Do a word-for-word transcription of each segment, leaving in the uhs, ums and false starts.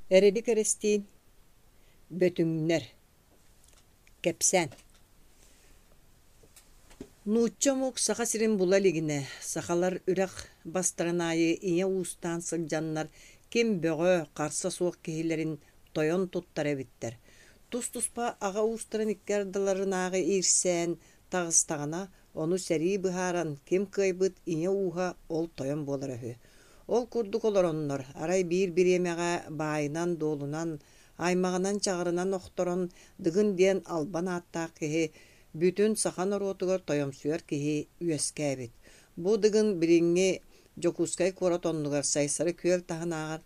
Эрилик Эристиин Бөтүҥнэр Кэпсээн Нуучча омук Саха сирин була илигинэ, сахалар үрэх бастарын аайы ийэ уустаан сылдьаннар ким бөҕө, харса суох киһилэрин тойон туттар эбиттэр. Тус-туспа аҕа уустарын икки ардыларынааҕы иирсээн таҕыстаҕына, ону сэрии быһааран, ким кыайбыт ийэ ууһа ол тойон буолара үһү. Ол курдук олороннор, арай биир бириэмэҕэ баайынан-дуолунан, аймаҕынан-чаҕарынан охторон Дыгын диэн албан ааттаах киһи бүтүн саха норуотугар тойомсуйар киһи үөскээбит. Бу Дыгын билиҥҥи Дьокуускай куорат оннугар Сайсары күөл таһынааҕар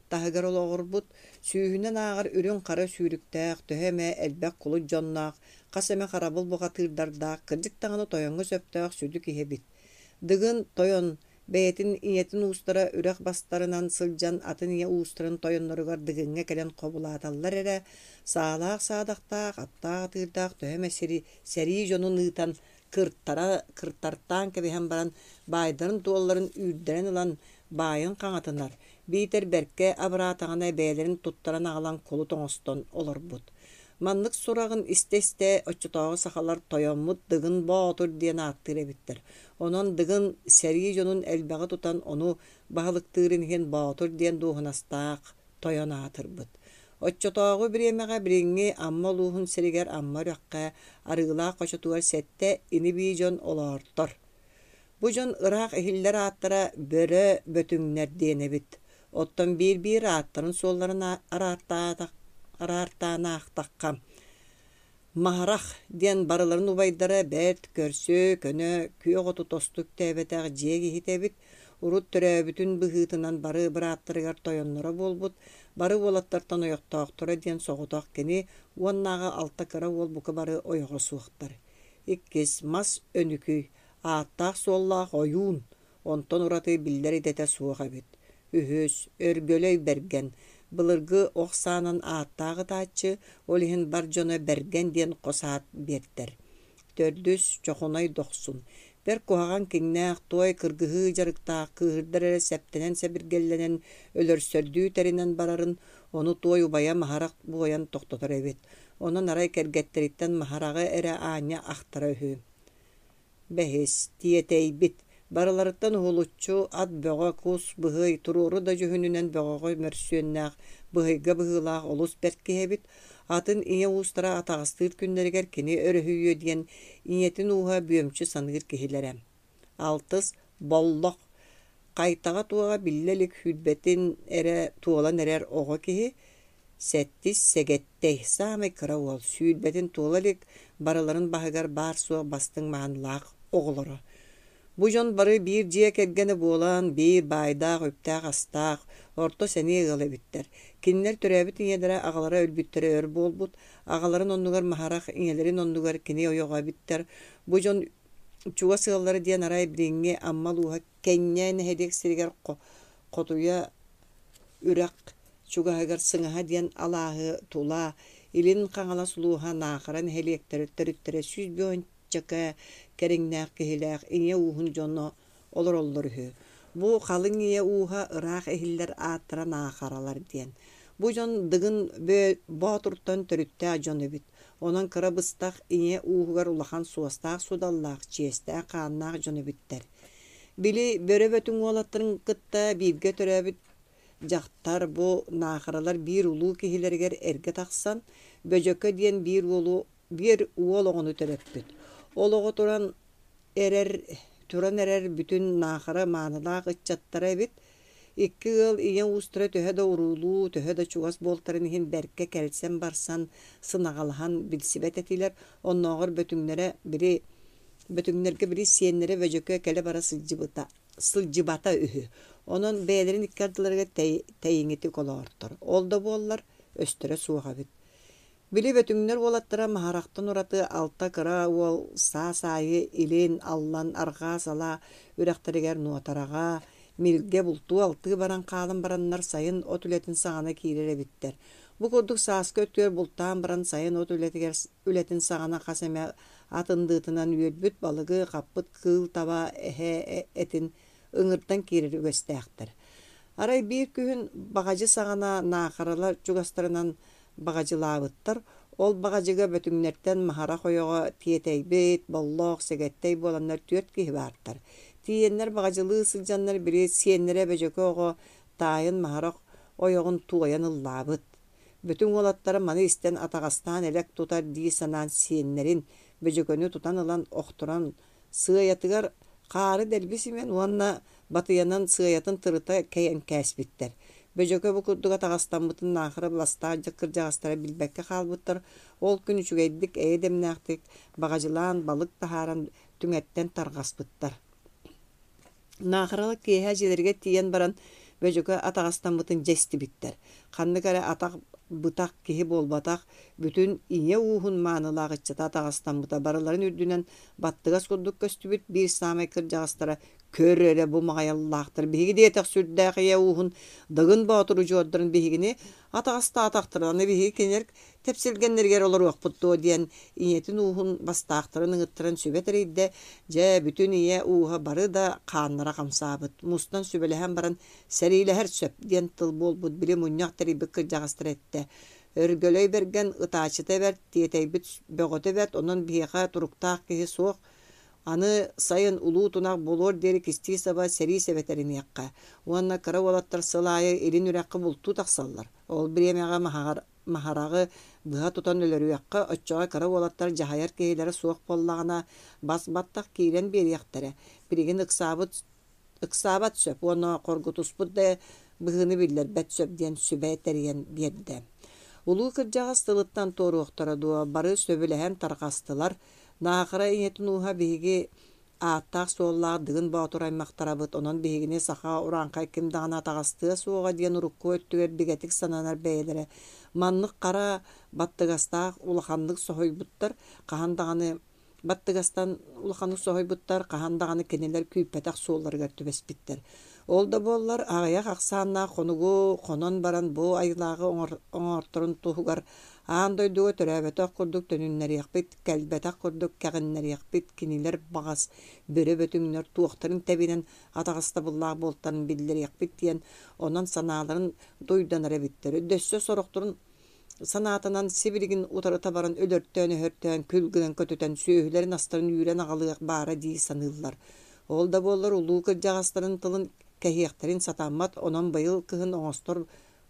таһыгар олоҕурбут, сүүһүнэн ааҕар үрүҥ-хара сүүрүктээх, төһө эмэ элбэх кулут дьонноох, хас эмэ харабыл бухатыырдардаах, кырдьык даҕаны тойоҥҥо сөптөөх сүдү киһи эбит. Дыгын тойон бэйэтин ийэтин уустара үрэх бастарынан сылдьан атын ийэ уустарын тойонноругар Дыгыҥҥа кэлэн хобулааталлар эрэ, саалаах-саадахтаах, аттаах-атыырдаах төһө эмэ сири сэрии дьонун ыытан кыртара кыртартаан кэбиһэн баран баайдарын-дуолларын үүрдэрэн ылан баайын хаҥатынар, биитэр бэркэ абыраатаҕына бэйэлэрин туттаран аҕалан кулут оҥостон олорбут. Маннык сураҕын истэ-истэ оччотооҕу сахалар тойоммут Дыгын Боотур диэн ааттыыр эбиттэр. Онон Дыгын сэрии дьонун элбэҕи тутан ону баһылыктыырын иһин Боотур диэн дуоһунастаах тойон аатырбыт. Оччотооҕу бириэмэҕэ билиҥҥи Амма улууһун сиригэр Амма үрэххэ Арыылаах хочотугар сэттэ ини-бии дьон олоортор. Бу дьон ыраах иһиллэр ааттара Бөрө Бөтүҥнэр диэн эбит. Оттон биир-биир ааттарын-суолларын араартаан аахтахха, Маһарах диэн барыларын убайдара бэрт көрсүө, көнө, күөх оту тосту үктээбэтэх дьиэ киһитэ эбит. Урут төрөөбүтүн быһыытынан бары бырааттарыгар тойонноро буолбут, бары уолаттартан ойохтоохторо диэн соҕотох кини уоннааҕы алта кыра уол бука бары ойоҕо суохтар. Иккис Мас Өнүкүй ааттаах-суоллаах ойуун, онтон ураты биллэр идэтэ суох эбит. Үһүс, Өргөлөй Бэргэн, былыргы ох саанан ааттаах ытааччы, ол иһин бар дьоно Бэргэн диэн хос аат биэртэр. Төрдүс, Чохунай Дохсун, бэрт куһаҕан киҥнээх, туой кыргыһыы дьарыктаах, кыыһырдар эрэ сэптэнэн-сэбиргэллэнэн, өлөрсөрдүү тэринэн барарын, ону туой убайа Маһарах буойан тохтотор эбит. Онон арай кэргэттэриттэн Маһараҕы эрэ аанньа ахтара үһү. Бэһис, тиэтэйбит, барыларыттан уһулуччу ат бөҕө, кус, быһый, туруору да дьүһүнүнэн бөҕөҕө мөрсүөннээх, быһыйга быһыылаах олус бэрт киһи эбит. Атын ийэ уустара атаҕастыыр күннэригэр кини өрүһүйүө диэн ийэтин ууһа бүөмчү саныыр киһилэрэ. Алтыс, Боллох, хайтаҕа-туоҕа биллэ илик сүүрбэтин эрэ туолан эрэр оҕо киһи. Сэттис, Сэгэттэй, саамай кыра уол, сүүрбэтин туола илик, барыларын баһыгар баар-суох бастыҥ маанылаах оҕолоро. Бу дьон бары биир дьиэ кэргэнэ буолан, биир баайдаах, үптээх-астаах, орто сэниэ ыал эбиттэр. Кинилэр төрөөбүт ийэлэрэ аҕалара өлбүттэрэ өр буолбут, аҕаларын оннугар Маһарах, ийэлэрин оннугар кини ойоҕо эбиттэр. Бу дьон чугас ыаллара диэн арай билиҥҥи Амма улууһа Кэнньэ нэһилиэк сиригэр Хотуйа үрэх чугаһыгар Сыҥаһа диэн алааһы тула Илин Хаҥалас улууһа Наахара нэһилиэктэрэ төрүттэрэ сүүс биэс кэриҥнээх киһилээх ийэ ууһун дьоно олороллор үһү. Бу халыҥ ийэ ууһа ыраах иһиллэр ааттара Наахаралар диэн. Бу дьон Дыгын Боотуртан төрүттээх дьон эбит. Онон кыра быстах ийэ ууһугар улахан суостаах-суодаллаах, чиэстээх хааннаах дьон эбиттэр. Били Бөрө Бөтүҥ уолаттарын кытта бииргэ төрөөбүт дьахтар бу Наахаралар биир улуу киһилэригэр эргэ тахсан, Бөдьөкө диэн биир уолу биир уол оҕону төрөппүт. Ол оҕо туран эрэр туран эрэр бүтүн Наахара маанылаах ыччаттара эбит. Икки ыал ийэ уустара төһө да уруулуу, төһө да чугас буолтарын иһин бэркэ кэлсэн-барсан, сынаҕалаһан билсибэт этилэр. Оннооҕор Бөтүҥнэрэ били Бөтүҥнэргэ били сиэннэрэ Бөдьөкө кэлэ-бара сылдьыбыта сылдьыбата үһү. Онон бэйэлэрин икки ардыларыгар тэй тэйиҥитик олоортор. Ол да буоллар, өстөрө суох эбит. Били Бөтүҥнэр уолаттара Маһарахтан ураты алта кыра уол саас аайы илин, аллан, арҕаа салаа үрэхтэригэр Нуотараҕа, Милгэ бултуу-алтыы баран хаалан бараннар сайын от үлэтин саҕана киирэр эбиттэр. Бу курдук сааскы өттүгэр бултаан баран сайын от үлэтигэр үлэтин саҕана хас эмэ ат ындыытынан үөрбүт балыгы, хаппыт кыыл таба, эһэ этин ыҥыртан киирэр үгэстээхтэр. Арай биир күһүн баҕадьы саҕана Наахаралар чугастарынан баҕадьылаабыттар. Ол баҕадьыга Бөтүҥнэртэн Маһарах ойоҕо Тиэтэйбит, Боллоох, Сэгэттэй буоланнар түөрт киһи баартар. Тиийэннэр баҕадьылыы сылдьаннар били сиэннэрэ Бөдьөкө оҕо таайын Маһарах ойоҕун туойан ыллаабыт. Бөтүҥ уолаттара маны истэн атаҕастаан элэк тутар дии санаан сиэннэрин Бөдьөкөнү тутан ылан охторон сыайатыгар хаары дэлби симэн уонна батыйанан сыайатын тырыта кэйэн кээспиттэр. Бөдьөкө бу курдук атаҕастаммытын Наахара бастаах кырдьаҕастара билбэккэ хаалбыттар. Ол күн үчүгэйдик эйэ дэмнээхтик баҕадьылаан балык таһааран түҥэттэн тарҕаспыттар. Наахаралар киэһэ дьиэлэригэр тиийэн баран Бөдьөкө атаҕастаммытын дьэ истибиттэр. Ханнык эрэ атах бытах киһи буолбатах, бүтүн ийэ ууһун маанылаах ыччата атаҕастаммыта барыларын үрдүнэн баттыгас курдук көстүбүт. Биир саамай кырдьаҕастара көр эрэ бу маҕайаллаахтар биһиги диэтэх сүрдээх ийэ ууһун Дыгын Боотур удьуордарын биһигини атаҕастаатахтарына аны биһиги кинилэр тэпсилгэннэригэр олоруохпут дуо диэн ийэтин ууһун бастаахтарын ыҥыттаран сүбэ тэрийдэ. Дьэ, бүтүн ийэ ууһа бары да хааннара хамсаабыт. Мустан сүбэлэһэн баран сэриилэһэр сөп диэн тыл буолбут били мунньах тэрийбит кырдьаҕастара эттэ. Өргөлөй бэргэн ытааччыта бэрт, тиэтэйбит бөҕөтө бэрт, онон биһиэхэ туруктаах киһи суох. Аны сайын улуу тунах буолуор диэри кистии саба сэрии сэбэ тэриниэххэ. Уонна кыра уолаттар сыл аайы илин үрэххэ бултуу тахсаллар. Ол бириэмэҕэ маһаҕар Маһараҕы быһа тутан өлөрүөххэ, оччоҕо кыра уолаттар дьаһайар киһилэрэ суох буоллаҕына, бас-баттах киирэн биэриэхтэрэ. Билигин ыксаабыт ыксаабат сөп уонна хоргутуспут да быһыыны биллэрбэт сөп диэн сүбэ тэрийэн биэрдэ. Улуу кырдьаҕас тылыттан туоруохтара дуо, бары сөбүлэһэн тарҕастылар. Наахара ийэтин ууһа биһиги ааттаах-суоллаах Дыгын Боотур аймахтарабыт, онон биһигини саха урааҥхай ким даҕаны атаҕастыа суоҕа диэн урукку өттүгэр бигэтик сананар бэйэлэрэ маннык хара баттыгастаах улаханнык соһуйбуттар, хаһан даҕаны баттыгастан улаханнык соһуйбуттар, хаһан даҕаны кинилэр күүппэтэх суолларыгар түбэспиттэр. Ол да буоллар, аҕыйах ахсааннаах хонугу хонон баран бу айылааҕы оҥорторун туһугар аан дойдуга төрөөбөтөх курдук төнүннэриэхпит, кэлбэтэх курдук кэҕиннэриэхпит, кинилэр баҕас бөрө бөтүҥнэр туохтарын тэбинэн атаҕастабыллаах буолтарын биллэриэхпит диэн, онон санааларын дуйданар эбиттэр. Өссө сорохторун санаатынан сибилигин утарыта баран өлөртөөн-өһөртөөн күл гынан көтүтэн сүөһүлэрин-астарын үүрэн аҕалыах баара дии саныыллар. Ол да буоллар улуу кырдьаҕастарын тылын кэһиэхтэрин сатаммат, онон быйыл кыһын оҥостор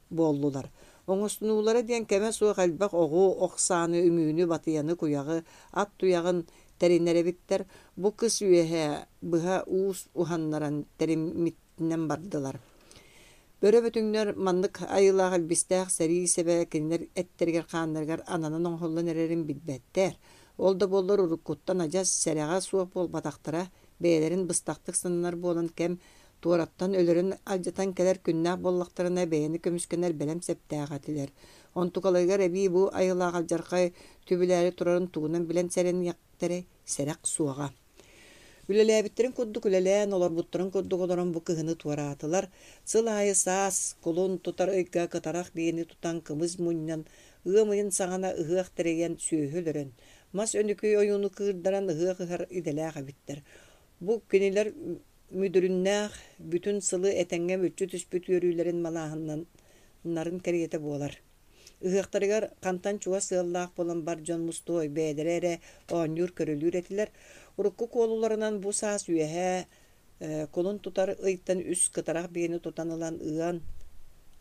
буоллулар. Оҥостунуулара диэн кэмэ суох элбэх оҕу, ох сааны, үҥүүнү, батыйаны, куйаҕы, ат туйаҕын тэринэр эбиттэр. Бу кыс үөһэ быһа уус уһаннаран тэриммитинэн бардылар. Бөрө бөтүҥнэр маннык айылаах илбистээх сэрии сэбэ кинилэр эттэригэр-хааннарыгар ананан оҥоһуллан эрэрин билбэттэр. Ол да буоллар уруккуттан адьас сэрэҕэ суох буолбатахтара, бэйэлэрин быстахтык сананар буолан кэм туораттан өлөрөн алдьатан кэлэр күннээх буоллахтарына бэйэни көмүскэнэр бэлэм сэптээх этилэр. Онтукаларыгар эбии бу айылаах алдьархай түбүлээри турарын тугунан билэн сэрэниэхтэрэй, сэрэх суоҕа. Үлэлээбиттэрин курдук үлэлээн, олорбуттарын курдук олорон бу кыһыны туораатылар. Сыл аайы саас, кулун тутар ыйга кытарах биэни тутан кымыс мунньан, ыам ыйын саҕана ыһыах тэрийэн сүөһү өлөрөн, мас өнүкүй ойууну кыырдаран ыһыах ыһар идэлээх эбиттэр. Бу кинилэр мүдүрүннээх бүтүн сылы этэҥҥэ мүччү түспүт үөрүүлэрин малааһыннарын кэриэтэ буолар. Ыһыахтарыгар хантан чугас ыаллаах буолан бар дьон мустуой бэйэлэрэ эрэ оонньуур-көрүлүүр этилэр. Урукку куолуларынан бу саас үөһэ кулун тутар ыйтан үс кытарах биэни тутан ылан ыан,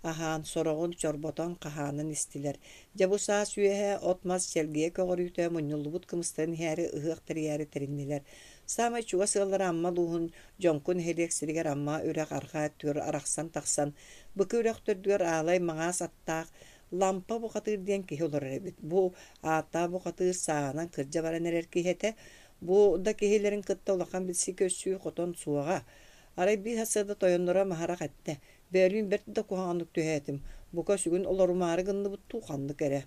аһаан, сороҕун чорботон хаһаанан истилэр. Дьэ бу саас үөһэ от-мас чэлгийэ көҕөрүүтэ мунньуллубут кымыстарын иһээри ыһыах тэрийээри тэриннилэр. Саамай чугас ыаллара Амма улууһун Дьоҥку нэһилиэк сиригэр Амма үрэх арҕаа өттүгэр арахсан тахсан, Быкы үрэх төрдүгэр аалай маҥаас аттаах Лампа бухатыыр диэн киһи олорор эбит. Бу ааттаах бухатыыр сааһынан кырдьа баран эрэр киһи этэ. Бу да киһилэрин кытта улахан билсии-көрсүү хотон суоҕа. Арай биир сарсыарда тойонноро Маһарах эттэ: «Бөөлүүн бэрт да куһаҕаннык түһээтим, бука сүгүн олорумаары гынныбыт дуу, ханнык эрэ».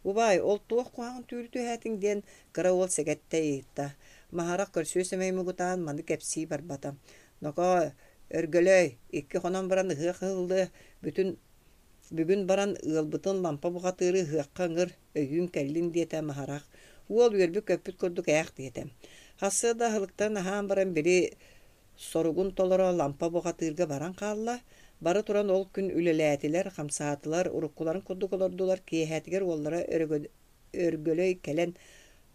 «Убаай, ол туох куһаҕан түүлү түһээтиҥ?» диэн кыра уол сэгэттэ ыйытта. Маһарах көрсүө сэмэй муҥутаан маны кэпсии барбата. «Нокоо, Өргөлөй, икки хонон баран ыһыах ыһыллыа, бүтүн Бүгүн баран ыалбытын Лампа бухатыыры ыһыахха ыҥыр, өйүүн кэллин диэтэ Маһарах. Уол үөрбүт-көппүт курдук ээх диэтэ. Сарсыарда аһылыктарын аһаан баран били соругун толоро Лампа бухатыырга баран хаалла. Бары туран ол күн үлэлээтилэр, хамсаатылар, уруккуларын курдук олордулар. Киэһэтигэр уоллара Өргөлөй кэлэн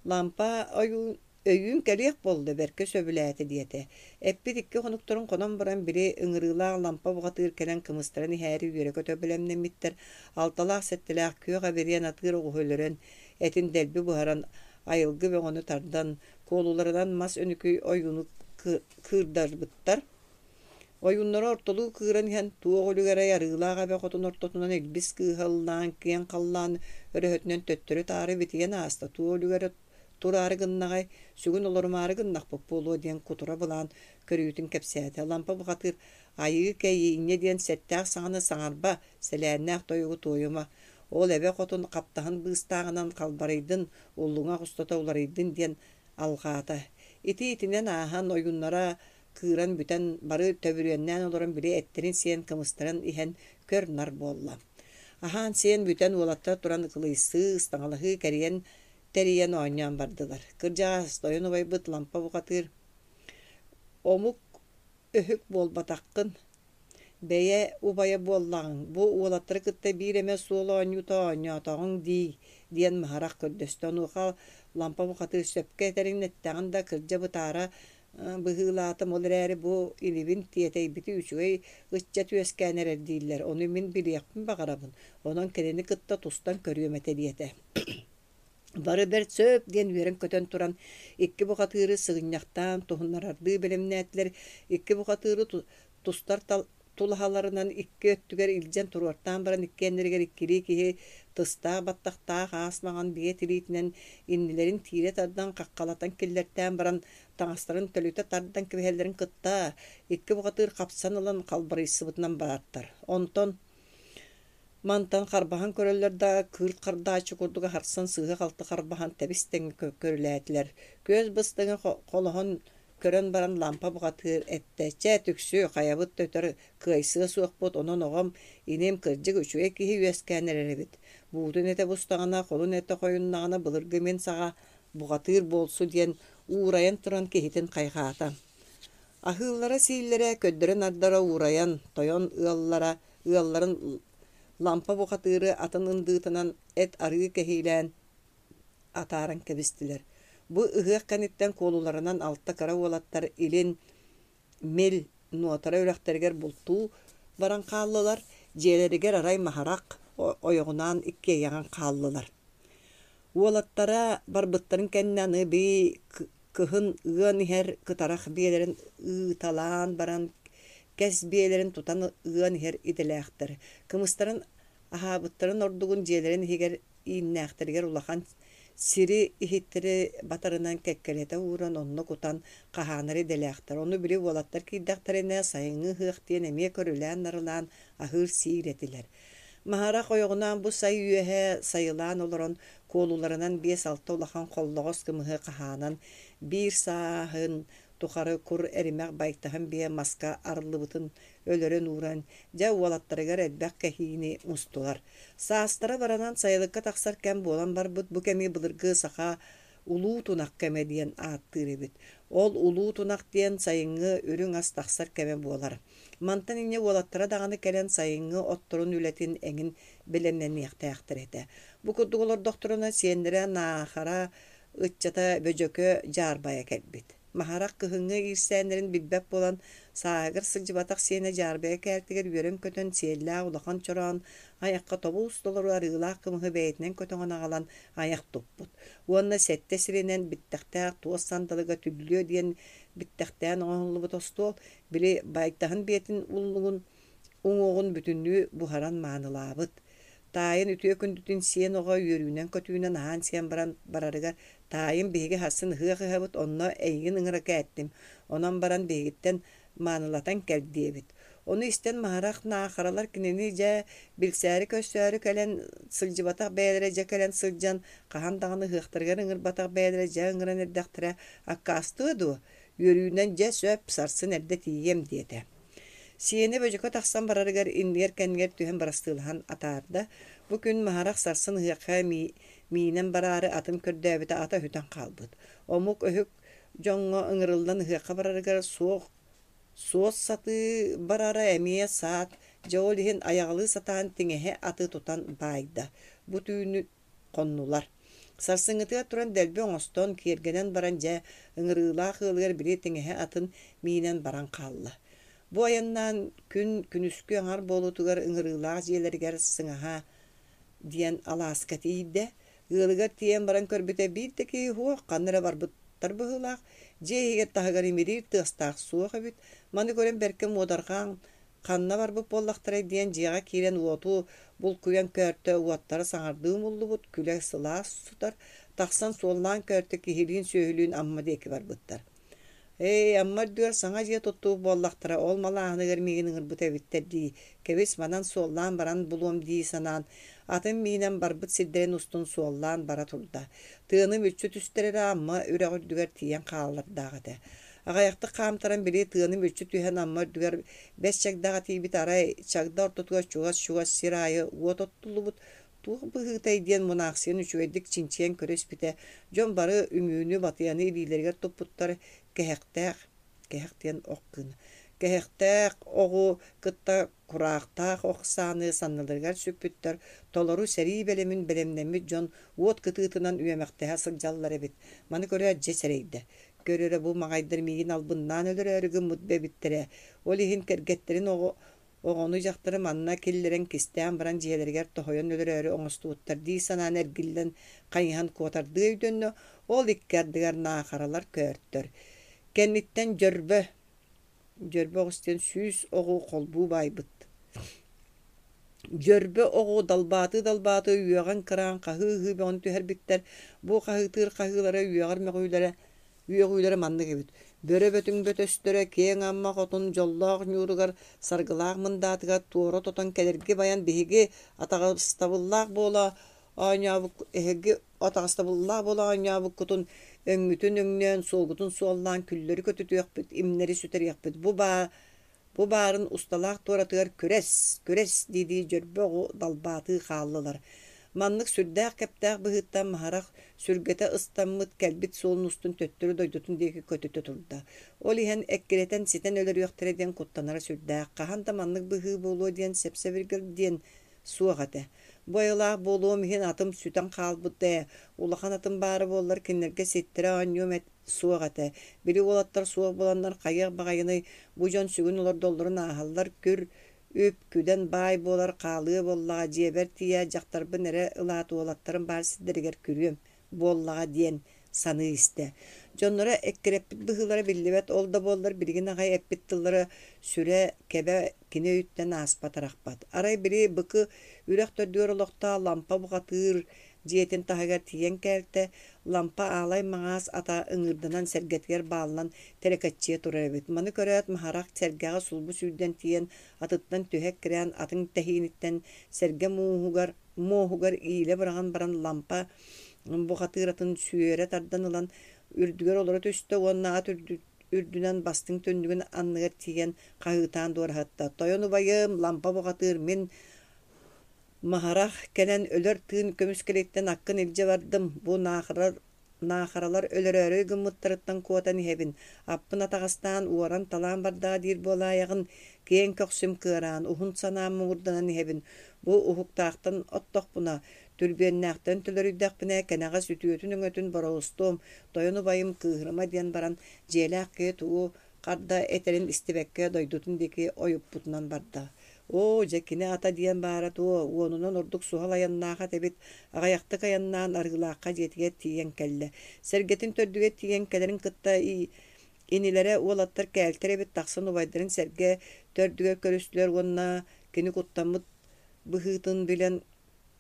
«Лампа ойуун өйүүн кэлиэх буолла, бэркэ сөбүлээтэ» диэтэ. Эппит икки хонуктарын хонон баран, били ыҥырыылаах Лампа бухатыыр кэлэн кымыстарын иһээри үөрэ-көтө бэлэмнэммиттэр. Алталаах-сэттэлээх күөх эбириэн атыыр оҕуһу өлөрөн, этин дэлби буһаран, айылгы бөҕөнү тардан, куолуларынан мас өнүкүй ойууну кыырдарбыттар. Ойууннара ортолуу кыыран иһэн, туох үлүгэрэй арыылаах эбэ хотун ортотунан илбис кыыһа ыллаан, киэҥ халлаан өрөһөтүнэн төттөрү-таары битийэн ааста, туох үлүгэрэ тураары гыннаҕай, сүгүн олорумаары гыннахпыт буолуо диэн кутура былаан көрүүтүн кэпсээтэ. Лампа бухатыыр «Айыы кэйии инньэ диэн сэттээх саҥаны саҥарба, сэлээннээх тойугу туойума, ол эбэ хотун хаптаһын быыстааҕынан халбарыйдын, уллуҥах устата уларыйдын» диэн алҕаата. Ити итинэн ааһан ойууннара кыыран бүтэн, бары төбүрүөннээн олорон били эттэрин сиэн, кымыстарын иһэн көр-нар буолла. Аһаан-сиэн бүтэн уолаттар туран кылыйсыы, ыстаҥалаһыы кэрийэн тэрийэн оонньоон бардылар. Кырдьаҕас тойон убайбыт Лампа бухатыыр «Омук өһүк буолбатаххын, бэйэ убайа буоллаҕыҥ, бу уолаттары кытта биир эмэ суол оонньуута оонньоотоҕуҥ дии» диэн Маһарах көрдөстө. Онуоха Лампа бухатыыр сөпкө этэрин эттэҕин да, кырдьа бытаара быһыылаатым, ол эрээри бу инибин тиэтэйбити үчүгэй ыччат үөскээн эрэр дииллэр, ону мин билиэхпин баҕарабын, онон кинини кытта тустан көрүөм этэ диэтэ. Бары бэрт сөп диэн үөрэн-көтөн туран икки бухатыыры сыгынньахтаан туһуннарардыы бэлэмнээтилэр, икки бухатыыры тустар тулаһаларынан икки өттүгэр илдьэн туруортаан баран иккиэннэригэр иккилии киһи тыстаах баттахтаах аас маҥан биэ тириитинэн иннилэрин тиирэ тардан хаххалатан киллэртээн баран таҥастарын төлүтэ тардан кэбиһэллэрин кытта икки бухатыыр хапсан ылан халбарыйсыбытынан бараттар. Онтон мантан харбаһан көрөллөр да, кыырт хардааччы курдук аһарсан сыыһа-халты харбаһан тэбис-тэҥҥэ көрүлээтилэр. Күөс быстыҥа холоһон көрөн баран Лампа бухатыыр эттэ: «Чэ, түксү, хайабыт да өтөр кыайсыа суохпут, онон оҕом, иним кырдьык үчүгэй киһи үөскээн эрэр эбит. Буутун этэ бустаҕына, холун этэ хойуннаҕына былыргы мин саҕа бухатыыр буолсу» диэн уурайан туран киһитин хайҕаата. Аһыыллара-сииллэрэ, көрдөрө-нардара уурайан, тойон ыаллара ыалларын Лампа бухатыыры атын ындыытынан эт арыы кэһиилээн атааран кэбистилэр. Бу ыһыах кэнниттэн куолуларынан алта кыра уолаттар илин Мил Нуотара үрэхтэригэр бултуу баран хааллылар, дьиэлэригэр арай Маһарах ойоҕунаан иккиэйэҕин хааллылар. Уолаттара барбыттарын кэннэ аны бии кыһын ыан иһэр кытарах биэлэрин ыыталаан баран кэс биэлэрин тутан ыан иһэр идэлээхтэр. Кымыстарын аһаабыттарын ордугун дьиэлэрин иһигэр ииннээхтэригэр улахан сири иһиттэри батарынан кэккэлэтэ ууран онно кутан хаһаанар идэлээхтэр. Ону били уолаттар киирдэхтэринэ сайыҥҥы ыһыах диэн эмиэ көрүлээн-нарылаан аһыыр-сиир этилэр. Маһарах ойоҕунаан бу сай үөһэ сайылаан олорон куолуларынан биэс-алта улахан холлоҕос кымыһы хаһаанан биир сааһын тухары кур эримэх байтаһын биэ маска арыллыбытын өлөрөн ууран, дьэ уолаттарыгар элбэх кэһиини мустулар. Саастара баранан сайылыкка тахсар кэм буолан барбыт, бу кэми былыргы саха улуу тунах кэмэ диэн ааттыыр эбит. Ол улуу тунах диэн сайыҥҥы үрүҥ ас тахсар кэмэ буолар. Мантан инньэ уолаттара даҕаны кэлэн сайыҥҥы отторун үлэтин эҥин бэлэмнэниэхтээхтэр этэ. Бу курдук олордохторуна сиэннэрэ Наахара ыччата Бөдьөкө дьаарбайа кэлбит. Маһарах кыһыҥҥы иирсээннэрин билбэт буолан, сааһыгар сылдьыбатах сиэнэ дьаарбайа кээлтигэр үөрэн-көтөн сиэллээх улахан чороон айахха тобус толору арыылаах кымыһы бэйэтинэн көтөҕөн аҕалан айах туппут. Уонна сэттэ сиринэн биттэхтээх туос сандалыга түллүө диэн биттэхтээн оҥоһуллубут остуол, били байтаһын биэтин уллугун уҥуоҕун бүтүннүү буһаран маанылаабыт. Таайын үтүө күндүтүн сиэн оҕо үөрүүнэн-көтүүнэн аһаан-сиэн баран барарыгар «Таайым, биһиги сарсын ыһыах ыһабыт, онно эйигин ыҥыра кээттим, онон баран биһигиттэн маанылатан кэл» диэбит. Ону истэн Маһарах Наахаралар кинини дьэ билсээри-көрсөөрү кэлэн сылдьыбатах бэйэлэрэ дьэ кэлэн сылдьан, хаһан даҕаны ыһыахтарыгар ыҥырбатах бэйэлэрэ дьэ ыҥыран эрдэхтэрэ аккаастыа дуо, үөрүүнэн дьэ сөп, сарсын эрдэ тиийиэм диэтэ. Сиэнэ Бөдьөкө тахсан барарыгар иннигэр-кэннигэр түһэн бырастыылаһан атаарда. Бу күн Маһарах сарсын ыһыахха миинэн бараары атын көрдөөбүтэ ата өһүтэн хаалбыт. Омук өһүк дьоҥҥо ыҥырыллан ыһыахха барарыгар суох суос сатыы барара эмиэ саат, Дьэ ол иһин айаҕалыы сатаан тиҥэһэ аты тутан баайда. Бу түүнү хоннулар. Сарсыҥҥытыгар туран дэлби оҥостон, киэргэнэн баран дьэ, ыҥырыылаах ыалыгар били тиҥэһэ атын миинэн баран хаалла. Бу айаннаан күн күнүскү аҥар буолуутугар ыҥырыылаах дьиэлэригэр Сыҥаһа диэн алааска тиийдэ. Ыалыгар тиийэн баран көрбүтэ биир да киһи суох, ханна эрэ барбыттар быһыылаах. Дьиэ иһигэр таһыгар имириир тыастаах суох эбит. Маны көрөн бэркэ муодарҕаан ханна барбыт буоллахтарай диэн дьиэҕэ киирэн уоту булкуйан көөртө, уоттара саҥардыы умуллубут, күлэ сылаас сытар. Тахсан суоллаан көөртө, киһилиин-сүөһүлүүн Амма диэки барбыттар. Ээ, Амма үрдүгэр саҥа дьиэ туттубут буоллахтара, ол малааһыныгар миигин ыҥырбыт эбиттэр дии, кэбис манан суоллаан баран булуом дии санаан, атын миинэн барбыт сирдэрин устун суоллаан бара турда. Тыаны мүччү түстэр эрэ Амма үрэх үрдүгэр тиийэн хааллардаах этэ. Аҕыйахтык хаамтаран били тыаны мүччү түһэн Амма үрдүгэр бэс чагдаҕа тиийбит, арай чагда ортотугар чугас-чугас сир аайы уот оттуллубут, туох быһыытай диэн мунаахсыйан үчүгэйдик чинчийэн көрө испитэ, дьон бары үҥүүнү, батыйаны илиилэригэр туппуттар, кэһэхтээх, кэһэх диэн ох гына, кэһэхтээх оҕу кытта кураахтаах ох сааны санныларыгар сүкпүттэр, толору сэрии бэлэмин бэлэмнэммит дьон уот кытыытынан үөмэхтэһэ сылдьаллар эбит. Маны көрөөт дьэ сэрэйдэ. Көр эрэ бу маҕайдар миигин албыннаан өлөрөөрү гыммыт эбиттэрэ. Ол иһин кэргэттэрин оҕо оҕону-дьахтары манна киллэрэн кистээн баран дьиэлэригэр тоһуйан өлөрөөрү оҥостубуттар дии санаан эргиллэн хайыһан куотардыы өйдөннө, ол икки ардыгар наахаралар көөртөр. Кэнниттэн дьөрбө, дьөрбө оҕус диэн сүүс оҕу холбуу баайбыт. Дьөрбө оҕу далбаатыы-далбаатыы үөҕэн кыраан хаһыы-ыһыы бөҕөнү түһэрбиттэр. Бу хаһыытыыр хаһыылара үөҕэр мөҕүүлэрэ үөҕүүлэрэ маннык эбит: Бөрө Бөтүҥ бөтөстөрө киэҥ Амма хотун дьоллоох ньууругар саргылаах мындаатыгар туора тотон кэлэрги байан биһиги атаҕастабыллаах буола оонньообук эһиги атаҕастабыллаах буола оонньообуккутун өҥҥүтүн өҥнөөн, суолгутун суоллаан күллэри көтүтүөхпүт, имнэри сүтэриэхпит. Бу баа Бу баарын усталаах туоратыгар күрэс, күрэс дии-дии дьөрбө оҕу далбаатыы хааллылар. Маннык сүрдээх кэптээх быһыыттан Маһарах сүргэтэ ыстаммыт, кэлбит суолун устун төттөрү дойдутун диэки көтүтэ турда. Ол иһэн эккирэтэн ситэн өлөрүөхтэрэ диэн куттанара сүрдээх. Хаһан да маннык быһыы буолуо диэн сэп-сэбиргэл диэн суох этэ. Бу айылаах буолуом иһин атым сүтэн хаалбыт ээ, улахан атым баара буоллар кинилэргэ ситтэрэ оонньуом эт суох этэ. Били уолаттар суох буоланнар хайыах баҕайыный, бу дьон сүгүн олордоллорун ааһаллар, күр, үп, күдэн баай буолар хаалыа буоллаҕа, дьиэбэр тиийээт дьахтарбын эрэ ылаат уолаттарым баар сирдэригэр күрүөм буоллаҕа диэн саныы истэ. Дьонноро эккирэппит быһыылара биллибэт, ол да буоллар билигин аҕай эппит тыллара сүрэ, кэбэ кини өйүттэн ааспат арахпат. Арай били Быкы үрэх төрдүгэр олохтоох Лампа бухатыыр дьиэтин таһыгар тиийэн кээлтэ, Лампа аалай маҥаас ата ыҥыырданан сэргэтигэр бааллан тэлэкэччийэ турар эбит. Маны көрөөт Маһарах сэргэҕэ сулбу сүүрдэн тиийэн атыттан түһэ эккирээн атын тэһииниттэн сэргэ мууһугар муоһугар иилэ быраҕан баран Лампа бухатыыр атын сүөрэ тардан ылан үрдүгэр олоро түстэ уонна ат үрдүнэн бастыҥ түннүгүн анныгар тиийэн хаһыытаан дуораһытта: «Тойон убайым, Лампа бухатыыр, мин Маһарах кэлэн өлөр тыын көмүскэлиттэн аккын илдьэ бардым, бу наахарар наахаралар өлөрөөрү гыммыттарыттан куотан иһэбин, аппын атаҕастаан уоран-талаан бардаҕа диир буолаайаҕын, киэҥ көхсүм кыараан, уһун санаам муҥурданан иһэбин, бу уһуктаахтан оттохпуна, түрбүөннээхтэн төлөрүйдэхпинэ, кэнэҕэс үтүөтүн-өҥөтүн бороустуом, тойон убайым кыыһырыма» диэн баран, дьиэлээх киһи тугу харда этэрин истибэккэ дойдутун диэки ойуппутунан барда. Оо, дьэ кини ата диэн баара дуо, уонунан ордук суһал айаннаах ат эбит, аҕыйахтык айаннаан Арыылаахха дьиэтигэр тиийэн кэллэ. Сэргэтин төрдүгэр тиийэн кэлэрин кытта инилэрэ уолаттар кээлтэр эбит тахсан убайдарын сэргэ төрдүгэр көрүстүлэр уонна кини куттаммыт быһыытын билэн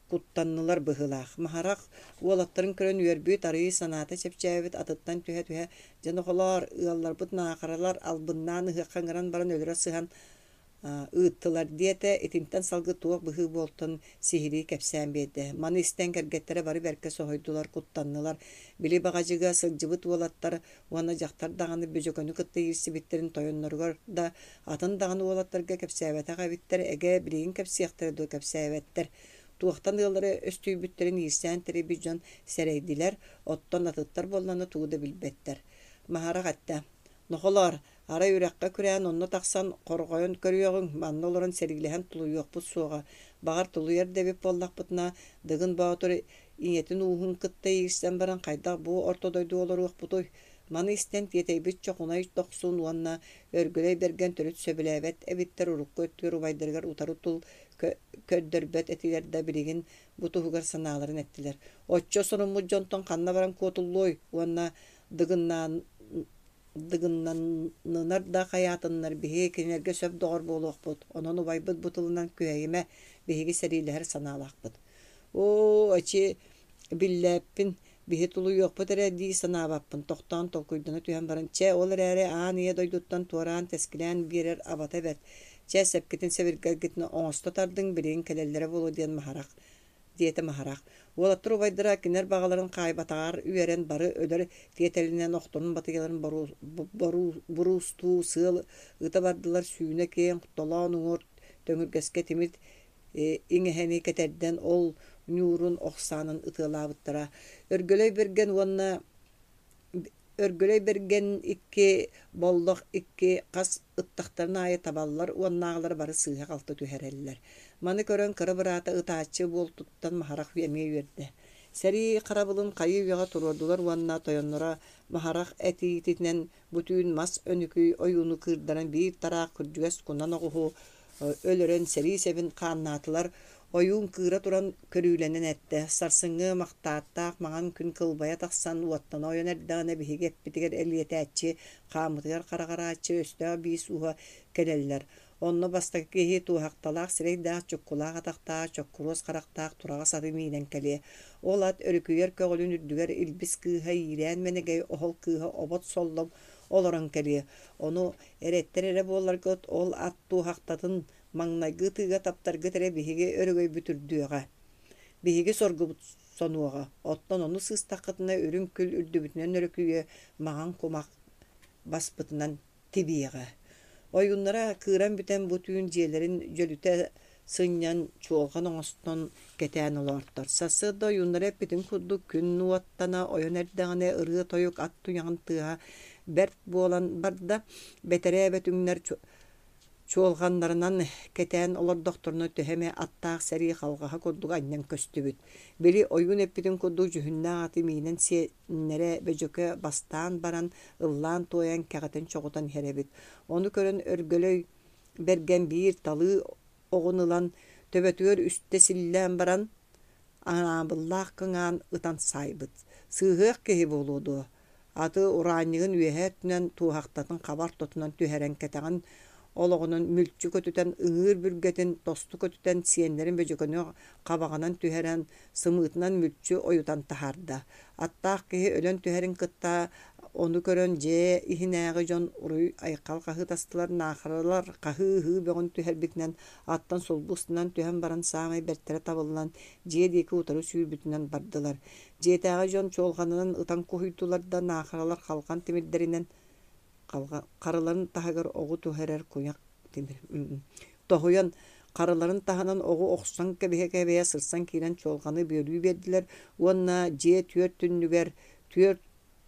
куттаннылар быһыылаах. Маһарах уолаттарын көрөн үөрбүт, арыый санаата чэпчээбит, атыттан түһэ-түһэ, «Дьэ нохолоор, ыалларбыт наахаралар албыннаан ыһыахха ыҥыран баран өлөрө сыһан ыыттылар» диэтэ, итинтэн салгыы туох быһыы буолтун сиһилии кэпсээн биэрдэ. Маны истэн кэргэттэрэ бары бэркэ соһуйдулар, куттаннылар. Били баҕадьыга сылдьыбыт уолаттар уонна дьахтар даҕаны Бөдьөкөнү кытта иирсибиттэрин тойонноругар да, атын даҕаны уолаттарга кэпсээбэтэх эбиттэр, эгэ билигин кэпсиэхтэрэ дуо кэпсээбэттэр. Туохтан ыаллара өстүйбүттэрин иирсээн тэрийбит дьон сэрэйдилэр, оттон атыттар буоллаҕына тугу да билбэттэр. Маһарах эттэ: «Нохолоор, Арай үрэххэ күрээн онно тахсан хорҕойон көрүөҕүҥ, манна олорон сэриилэһэн тулуйуохпут суоҕа. Баҕар тулуйар да эбит буоллахпытына, Дыгын Боотур ийэтин ууһун кытта иирсэн баран хайдах бу орто дойдуга олоруохпутуй? Маны истэн тиэтэйбит Чохунай Дохсун уонна Өргөлөй Бэргэн төрүт сөбүлээбэт эбиттэр, урукку өттүгэр убайдарыгар утары тыл көрдөрбөт этилэр да билигин бу туһугар санааларын эттилэр. Оччо соруммут дьонтон ханна баран куотуллуой уонна Дыгыннаан Дыгыннаннынар да хайаатыннар биһиги кинилэргэ сөп доҕор буолуохпут, онон убайбыт бу тылынан күһэйимэ, биһиги сэриилэһэр санаалаахпыт. Оо, эчи биллээппин, биһи тулуйуохпут эрэ дии санаабаппын, тохтоон толкуйдана түһэн баран, чэ, ол эрээри аан ийэ дойдуттан туораан тэскилээн биэрэр абата бэрт. Чэ, сэпкитин-сэбиргэлгитин оҥосто тардыҥ, билигин кэлэллэрэ буолуо диэн Маһарах диэтэ Маһарах. Уолаттар убайдара кинилэр баҕаларын хаайбатаҕар үөрэн бары өлөр тиэтэлинэн охторун батыйаларын буруустуу сыал ыта бардылар, сүүнэ киэҥ толоон уҥуор төҥүргэскэ тимир иҥэһэни кэтэрдэн ол ньуурун ох саанан ытыалаабыттара. Өргөлөй Бэргэн уонна Өргөлөй Бэргэн икки, Боллох икки хас ыттахтарын аайы табаллар уоннааҕылары бары сыыһа-халты түһэрэллэр. Маны көрөн кыра быраата ытааччы буолтуттан Маһарах эмиэ үөрдэ. Сэрии харабылын хайыы-үйэҕэ туруордулар уонна тойонноро Маһарах этиитинэн бу түүн мас өнүкүй ойууну кыырдаран биир тараах күрдьүгэс кунан оҕуһу өлөрөн сэрии сэбин хааннаатылар. Ойуун кыыра туран көрүүлэнэн эттэ: «Сарсыҥҥы махтааттаах маҥан күн кылбайа тахсан уоттана ойон эрдэҕинэ биһиги эппитигэр элиэтээччи, хааммытыгар хараҕарааччы өстөөх биис ууһа кэлэллэр. Онно бастакы киһи туоһахталаах сирэйдээх, чуккулаах атахтаах, чоккуруос харахтаах тураҕас аты миинэн кэлиэ. Ол ат өрүкүйэр көҕүлүн үрдүгэр Илбис кыыһа Иирээн Мэнэгэй оһол кыыһа Обот Соллом олорон кэлиэ. Ону эрэттэр эрэ буолларгыт, ол ат туоһахтатын маҥнайгы ытыыга таптаргыт эрэ биһиги өрөгөйбүт үрдүөҕэ, биһиги соргубут сонуоҕа. Оттон ону сыыстаххытына үрүҥ күл үрдүбүтүнэн өрүкүйүө, маҥан кумах баспытынан тибиэҕэ». Ойууннара кыыран бүтэн бу түүн дьиэлэрин дьөлүтэ сынньан, чуолҕан оҥостон кэтээн олоортор. Сарсыарда ойууннара эппитин курдук күн уоттана ойон эрдэҕинэ ырыа-тойук ат туйаҕын тыаһа бэрт буолан барда. Бэтэрээ бөтүҥнэр чуолҕаннарынан кэтээн олордохторуна төһө эмэ аттаах сэрии халҕаһа курдук анньан көстүбүт. Били ойуун эппитин курдук дьүһүннээх аты миинэн сиэннэрэ Бөдьөкө бастаан баран ыллаан-туойан кэҕитэн-чоҕутан иһэр эбит. Ону көрөн Өргөлөй Бэргэн биир талыы оҕун ылан төбөтүгэр үстэ силлээн баран анаабыллаах кыҥаан ытан саайбыт. Сыыһыах киһи буолуо дуо, аты ураанньыгын үөһээ өттүнэн туоһахтатын хаба ортотунан түһэрэн кэтэҕин олоҕунан мүлчү көтүтэн ыҥыыр бүргэтин тосту көтүтэн сиэннэрин Бөдьөкөнү хабаҕынан түһэрэн сымыытынан мүлчү ойутан таһаарда. Аттаах киһи өлөн түһэрин кытта ону көрөн дьиэ иһинээҕи дьон уруй-айхал хаһыытастылар, наахаралар хаһыы-ыһыы бөҕөнү түһэрбитинэн аттан сулбу ыстанан түһэн баран саамай бэртэрэ табыллан дьиэ диэки утары сүүрбүтүнэн бардылар. Дьиэтээҕи дьон чуолҕанынан ытан куһуйдулар да наахаралар халҕан тимирдэринэн харыларын таһыгар оҕу түһэрэр куйах тимир тоһуйан харыларын таһынан оҕу охсон кэбиһэ-кэбиһэ сырсан киирэн чуолҕаны бүөлүү биэрдилэр уонна дьиэ түөрт түннүгэр түөрт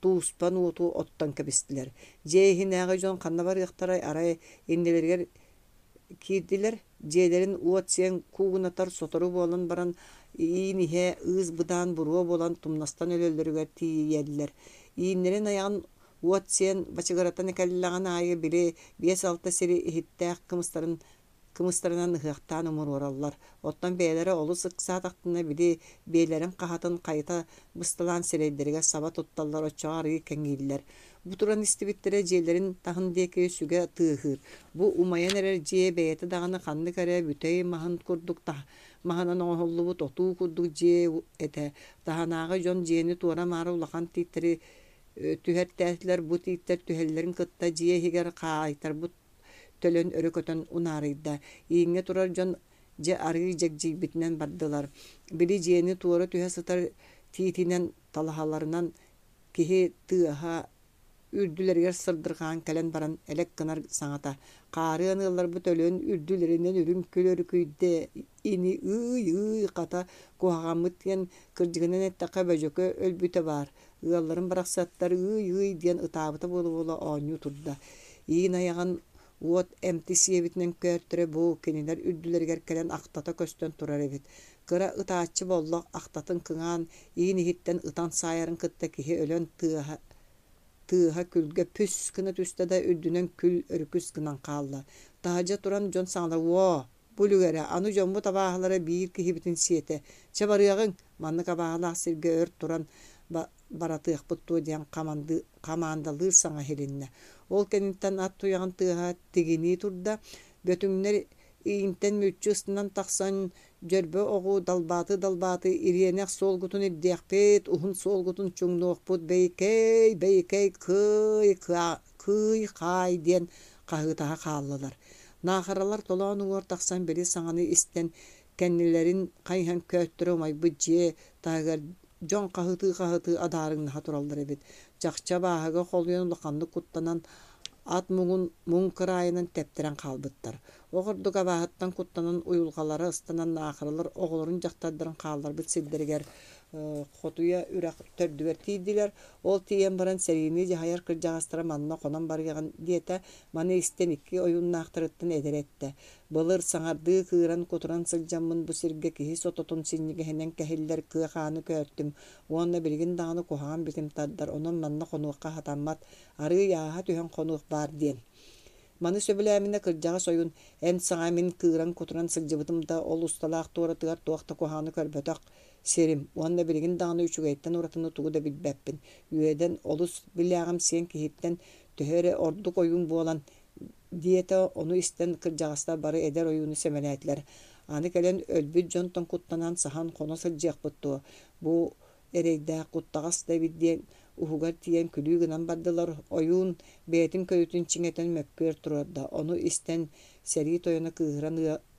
тууспан уоту оттон кэбистилэр. Дьиэ иһинээҕи дьон ханна барыахтарай, арай иннилэригэр киирдилэр, дьиэлэрин уот сиэн куугунатар сотору буолан баран иин иһэ ыыс-быдаан буруо буолан тумнастан өлөллөрүгэр тиийэллэр. Ииннэрин айаҕын уот сиэн бачыгыратан кэллэҕин аайы били биэс-алта сири иһиттээх кымыстарын кымыстарынан ыһыахтаан умуруораллар. Оттон бэйэлэрэ олус ыксаатахтарына били биэлэрин хаһатын хайыта бысталаан сирэйдэригэр саба тутталлар, оччоҕо арыый кэҥииллэр. Бу туран истибиттэрэ дьиэлэрин таһын диэки сүгэ тыаһыыр. Бу умайан эрэр дьиэ бэйэтэ даҕаны ханнык эрэ бүтэй маһын курдук маһынан оҥоһуллубут отуу курдук дьиэ этэ. Таһынааҕы дьон дьиэни туора-маары улахан тииттэри түһэртээтилэр. Бу тииттэр түһэллэрин кытта дьиэ иһигэр хаайтарбыт төлөн өрө көтөн унаарыйда. Ииҥҥэ турар дьон дьэ арыый дьэгдьийбитинэн бардылар. Били дьиэни туора түһэ сытар тиитинэн талаһаларынан киһи тыаһа үрдүлэригэр сырдырҕаан кэлэн баран элэк гынар саҥата: «Хаарыан ыалларбыт өлөн үрдүлэринэн үрүҥ күл өрүкүйдэ ини ыый-ыый хата куһаҕаммыт диэн кырдьыгынан эттэххэ Бөдьөкө өлбүтэ баар, ыалларым барахсаттар ыый-ыый» диэн ытаабыта буола-буола оонньуу турда. Иин айаҕын уот эмти сиэбитинэн көөртөрө бу кинилэр үрдүлэригэр кэлэн ахтата көстөн турар эбит. Кыра ытааччы Боллох ахтатын кыҥаан иин иһиттэн ытан саайарын кытта киһи өлөн тыаһа тыаһа күлгэ пүс гына түстэ да үрдүнэн күл өрүкүс гынан хаалла. Таһырдьа туран дьон саҥалар уо, бу үлүгэрэ, аны дьоммут абааһылара биир киһибитин сиэтэ. Чэ барыаҕыҥ, маннык абааһылаах сиргэ өр туран баратыахпыт дуо диэн хамаандалыыр саҥа иһилиннэ. Ол кэнниттэн ат туйаҕын тыаһа тигинии турда. Бөтүҥнэр иинтэн мүччү ыстанан тахсан дьөрбө оҕу далбааты-далбааты ириэнэх суолгутун ирдиэхпит, уһун суолгутун чуҥнуохпут, бэйикэй, бэйикэй, кыай, кыый-хаай диэн хаһыытаһа хааллылар. Наахаралар толоон уҥуор тахсан били саҥаны истэн кэннилэрин хайыһан көөттөрө умайбыт дьиэ таһыгар дьон хаһытыы-хаһытыы адаарыҥнаһа тураллар эбит. Чахчы абааһыга холуйан улаханнык куттанан ат муҥун муҥ кыраайынан тэптэрэн хаалбыттар. Ол курдук абааһыттан куттанан уйулҕалара ыстанан наахаралар оҕолорун дьахтардарын хаалларбыт сирдэригэр Хотуйа үрэх төрдүгэр тиийдилэр. Ол тиийэн баран сэриини дьаһайар кырдьаҕастара манна хонон барыаҕын диэтэ. Маны истэн икки ойууннаахтарыттан эдэрэ эттэ: «Былыр саҥардыы кыыран-кутуран сылдьаммын бу сиргэ киһи сототун синньигэһинэн кэһиллэр кыа хааны көөртүм уонна билигин даҕаны куһаҕан битим тардар, онон манна хонуохха сатаммат, арыый ааһа түһэн хонуох баар» диэн. Маны сөбүлээминэ кырдьаҕас ойуун «Эн саҥа мин кыыран-кутуран сылдьыбытым да, ол усталаах туоратыгар туох да куһаҕаны көрбөтөх сирим уонна билигин даҕаны үчүгэйтэн уратыны тугу да билбэппин. Үөдэн олус билээҕимсийэн киһиттэн төһө эрэ ордук ойуун буолан» диэтэ. Ону истэн кырдьаҕастар бары эдэр ойууну сэмэлээтилэр. Аны кэлэн өлбүт дьонтон куттанан саһан хоно сылдьыахпыт дуо, бу эрэйдээх куттаҕас да эбит диэн уһугар тиийэн күлүү гынан бардылар. Ойуун бэйэтин көрүүтүн чиҥэтэн мөккүөр туруорда. Ону истэн сэрии тойоно кыыһыран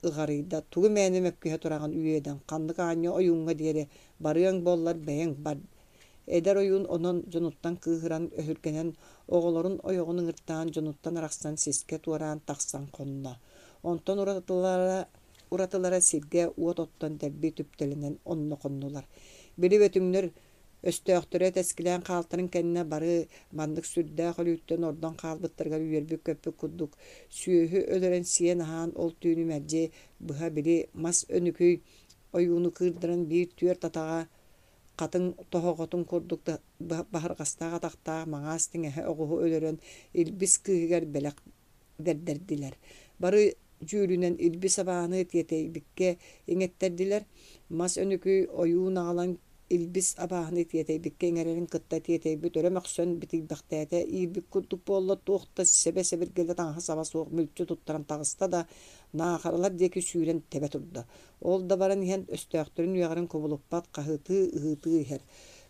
ыҕарыйда: «Тугу мээнэ мөккүһэ тураҕын үөдэн, ханнык аанньа ойууҥҥа диэри барыаҥ буоллар бэйэҥ бар». Эдэр ойуун онон дьонуттан кыыһыран, өһүргэнэн, оҕолорун ойоҕун ыҥыртаан дьонуттан арахсан сискэ туораан тахсан хонно. Онтон уратылара, уратылара сиргэ уот оттон дэлби түптэлэнэн онно хоннулар. Били бөтүҥнэр өстөөхтөрө тэскилээн хаалтарын кэннэ бары маннык сүрдээх өлүүттэн ордон хаалбыттарыгар үөрбүт-көппүт курдук сүөһү өлөрөн сиэн-аһаан ол түүнү мэлдьи быһа били мас өнүкүй ойууну кыырдаран биир түөрт атаҕа хатыҥ тоһоҕотун курдук баһырҕастаах атахтаах маҥаас тиҥэһэ оҕуһу өлөрөн Илбис кыыһыгар бэлэх бэрдэрдилэр. Бары дьүүлүнэн Илбис абааһыны тиэтэйбиккэ иҥэттэрдилэр. Мас өнүкүй ойуун аҕалан Илбис абааһыны тиэтэйбиккэ иҥэрэрин кытта тиэтэйбит өрө мөхсөн битийбэхтээтэ, иирбит курдук буолла, туох да сэбэ-сэбиргэлэ таҥаһа-саба суох мүлчү туттаран таҕыста да, наахаралар диэки сүүрэн тэбэ турда. Ол да баран иһэн өстөөхтөрүн үөҕэрин кубулуппат, хаһыытыы-ыһыытыы иһэр.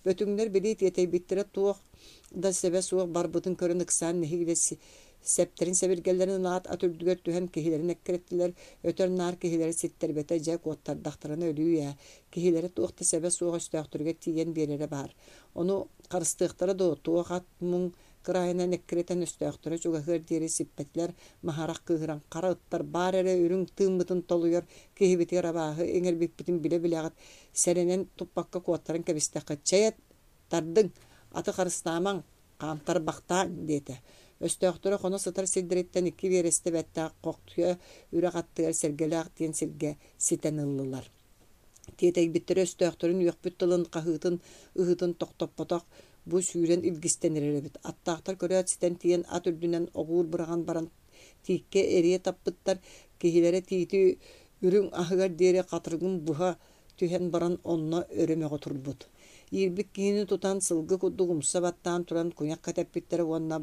Бөтүҥнэр били тиэтэйбиттэрэ туох да сэбэ суох барбытын көрөн ыксаан нэһиилэ сэптэрин-сэбиргэллэрин ылаат ат үрдүгэр түһэн киһилэрин эккирэттилэр, өтөр-наар киһилэрэ ситтэрбэтэ дьэ куоттардахтарына өлүү ээ, киһилэрэ туох да сэбэ суох өстөөхтөрүгэр тиийэн биэрэрэ баар. Ону харыстыахтара дуо, туох ат муҥ кыраайынан эккирэтэн өстөөхтөрө чугаһыар диэри сиппэтилэр, Маһарах кыыһыран хара ыттар баар эрэ үрүҥ тыыммытын толуйар киһибитигэр абааһы иҥэрбиппитин билэ-билэҕит, сэрэнэн туппакка куоттаран кэбистэххит, чэй тардыҥ, аты харыстаамаҥ, хаамтарбахтааҥ диэтэ. Өстөөхтөрө хоно сытар сирдэриттэн икки биэрэстэ бэттээх Хохтуйа үрэх аттыгар Сэргэлээх диэн сиргэ ситэн ыллылар. Тиэтэйбиттэрэ өстөөхтөрүн үөхпүт тылын, хаһыытын, ыһыытын тохтоппотох, бу сүүрэн илгистэн эрэр эбит. Аттаахтар көрөөт ситэн тиийэн ат үрдүнэн оҕуур быраҕан баран тииккэ эрийэ таппыттар, киһилэрэ тиити үрүҥ аһыгар диэри хатырыгын быһа түһэн баран онно өрө мөҕө турбут. Иирбит киһини тутан сылгы курдук умса баттаан туран куйах кэтэппиттэрэ уонна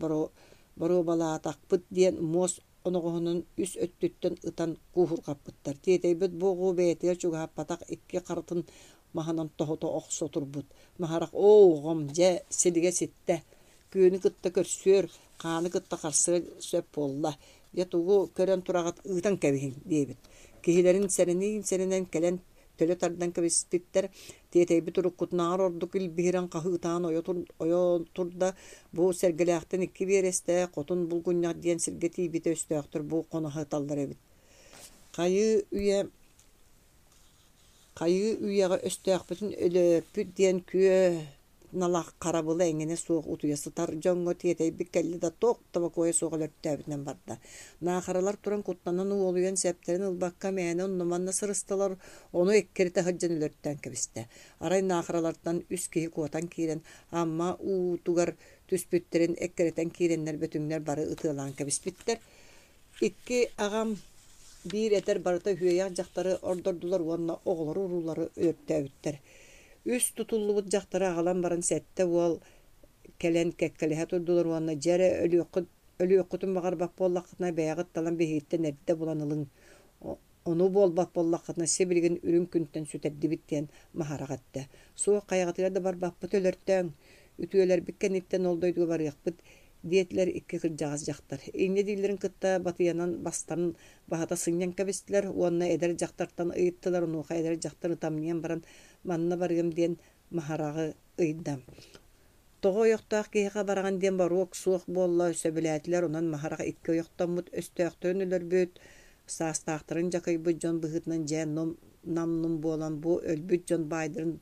боруобалаатахпыт диэн муос оноҕоһунан үс өттүттэн ытан кууһурҕаппыттар. Тиэтэйбит бу оҕу бэйэтигэр чугаһаппатах икки харытын маһынан тоһута охсо турбут. Маһарах «Оо, оҕом, дьэ, силигэ ситтэ, күөнү кытта көрсүөр, хааны кытта харсыа сөп буолла, дьэ тугу көрөн тураҕыт ыытан кэбиһиҥ» диэбит. Киһилэрин сэрэниин-сэрэнэн кэлэн төлө тардан кэбиспиттэр. Тиэтэйбит уруккутунааҕар ордук илбиһирэн хаһыытаан ойо, тур, ойо турда. Бу Сэргэлээхтэн икки биэрэстэ Хотун Булгунньах диэн сиргэ тиийбитэ өстөөхтөр бу хоно сыталлар эбит. Хайыы үйэ хайыы үйэҕэ өстөөхпүтүн өлөрпүт диэн күө налах харабыла эҥинэ суох утуйа сытар дьоҥҥо тиэтэйбит кэллэ да туох да бокуойа суох өлөртөөбүтүнэн барда. Наахаралар туран куттанан уолуйан сэптэрин ылбакка мээнэ онно-манна сырыстылар, ону эккирэтэ сылдьан өлөртөөн кэбистэ. Арай наахаралартан үс киһи куотан киирэн Амма уутугар түспүттэрин эккирэтэн киирэннэр бөтүҥнэр бары ытыалаан кэбиспиттэр. Икки аҕам биир этэр барыта үһүөйэх дьахтары ордордулар уонна оҕолору-уруулары өлөртөөбүттэр. Үс тутуллубут дьахтары аҕалан баран сэттэ уол кэлэн кэккэлэһэ турдулар уонна дьэ эрэ өлүөххүт өлүөххүтүн баҕарбат буоллаххытына бэйэҕит талан биһигиттэн эрдэ булан ылыҥ, ону буолбат буоллаххытына сибилигин үрүҥ күнтэн сүтэрдибит диэн Маһарах эттэ. Суох хайаҕытыгар да барбаппыт өлөртөөҥ, үтүөлэрбит кэнниттэн ол дойдуга барыахпыт диэтилэр икки кырдьаҕас дьахтар. Инньэ дииллэрин кытта батыйанан бастарын баһыта сынньан кэбистилэр уонна эдэр дьахтартан ыйыттылар, онуоха эдэр дьахтар ытамньыйан баран манна барыам диэн Маһараҕы ыйда. Тоҕо ойохтоох киһиэхэ бараҕын диэн боруок суох буолла, сөбүлээтилэр, онон Маһарах икки ойохтоммут, өстөөхтөрүн өлөрбүт, саастаахтарын дьакыйбыт дьон быһыытынан дьэ нам-нум буолан бу өлбүт дьон баайдарын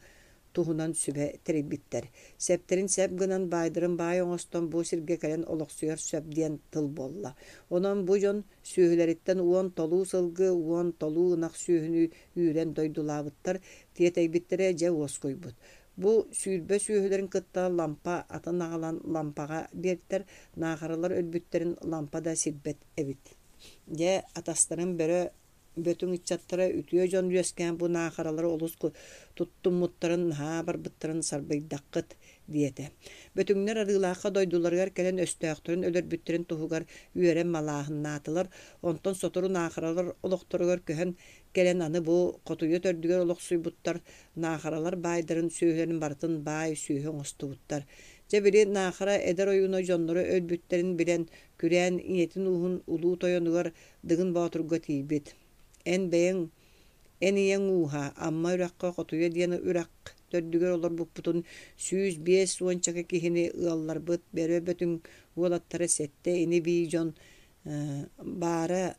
туһунан сүбэ тэрийбиттэр. Сэптэрин сэп гынан, баайдарын баай оҥостон бу сиргэ кэлэн олохсуйар сөп диэн тыл буолла. Онон бу дьон сүөһүлэриттэн уон толуу сылгы, уон толуу ынах сүөһүнү үүрэн дойдулаабыттар, тиэтэйбиттэрэ дьэ уоскуйбут. Бу сүүрбэ сүөһүлэрин кытта Лампа атын аҕалан Лампаҕа биэртэр, наахаралар өлбүттэрин Лампа да сирбэт эбит. Дьэ, атастарын бөрө Бөтүҥ ыччаттара үтүө дьон үөскээн бу наахаралары олус туттуммуттарын, наһаа барбыттарын сарбыйдаххыт диэтэ. Бөтүҥнэр Арыылаахха дойдуларыгар кэлэн өстөөхтөрүн өлөрбүттэрин туһугар үөрэн малааһыннаатылар. Онтон сотору наахаралар олохторугар көһөн кэлэн аны бу Хотуйа төрдүгэр олохсуйбуттар, наахаралар баайдарын сүөһүлэрин барытын баай сүөһү оҥостубуттар. Дьэ били Наахара эдэр ойууна дьонноро өлбүттэрин билэн, күрээн ийэтин ууһун улуу тойонугар Дыгын Боотурга тиийбит. Эн бэйэҥ, эн ийэҥ ууһа, Амма үрэххэ Хотуйа диэн үрэх төрдүгэр олорбуппутун сүүс биэс уончака киһини ыалларбыт Бөрө Бөтүҥ уолаттара сэттэ ини-бии дьон баара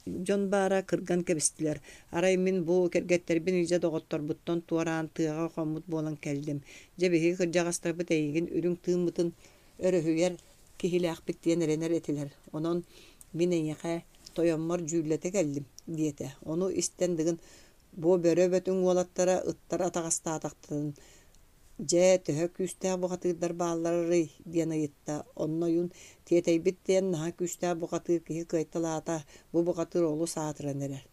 Дьон баара кырган кэбистилэр. Арай мин бу кэргэттэрбин илдьэ доҕотторбуттан туораан тыаҕа хоммут буолан кэллим. Дьэ биһиги кырдьаҕастарбыт эйигин үрүҥ тыыммытын өрөһүйэр киһилээхпит диэн эрэнэр этилэр. Онон мин эйиэхэ тойоммор дьүүллэтэ кэллим диэтэ. Ону истэн Дыгын бу Бөрө Бөтүҥ уолаттара ыттар атаҕастаатахтарын Дьэ, төһө күүстээх бухатыырдар баалларый диэн ыйытта. Онно ойуун тиэтэйбит диэн наһаа күүстээх бухатыыр киһи кыайталаата, бу бухатыыр олус аатыран эрэр.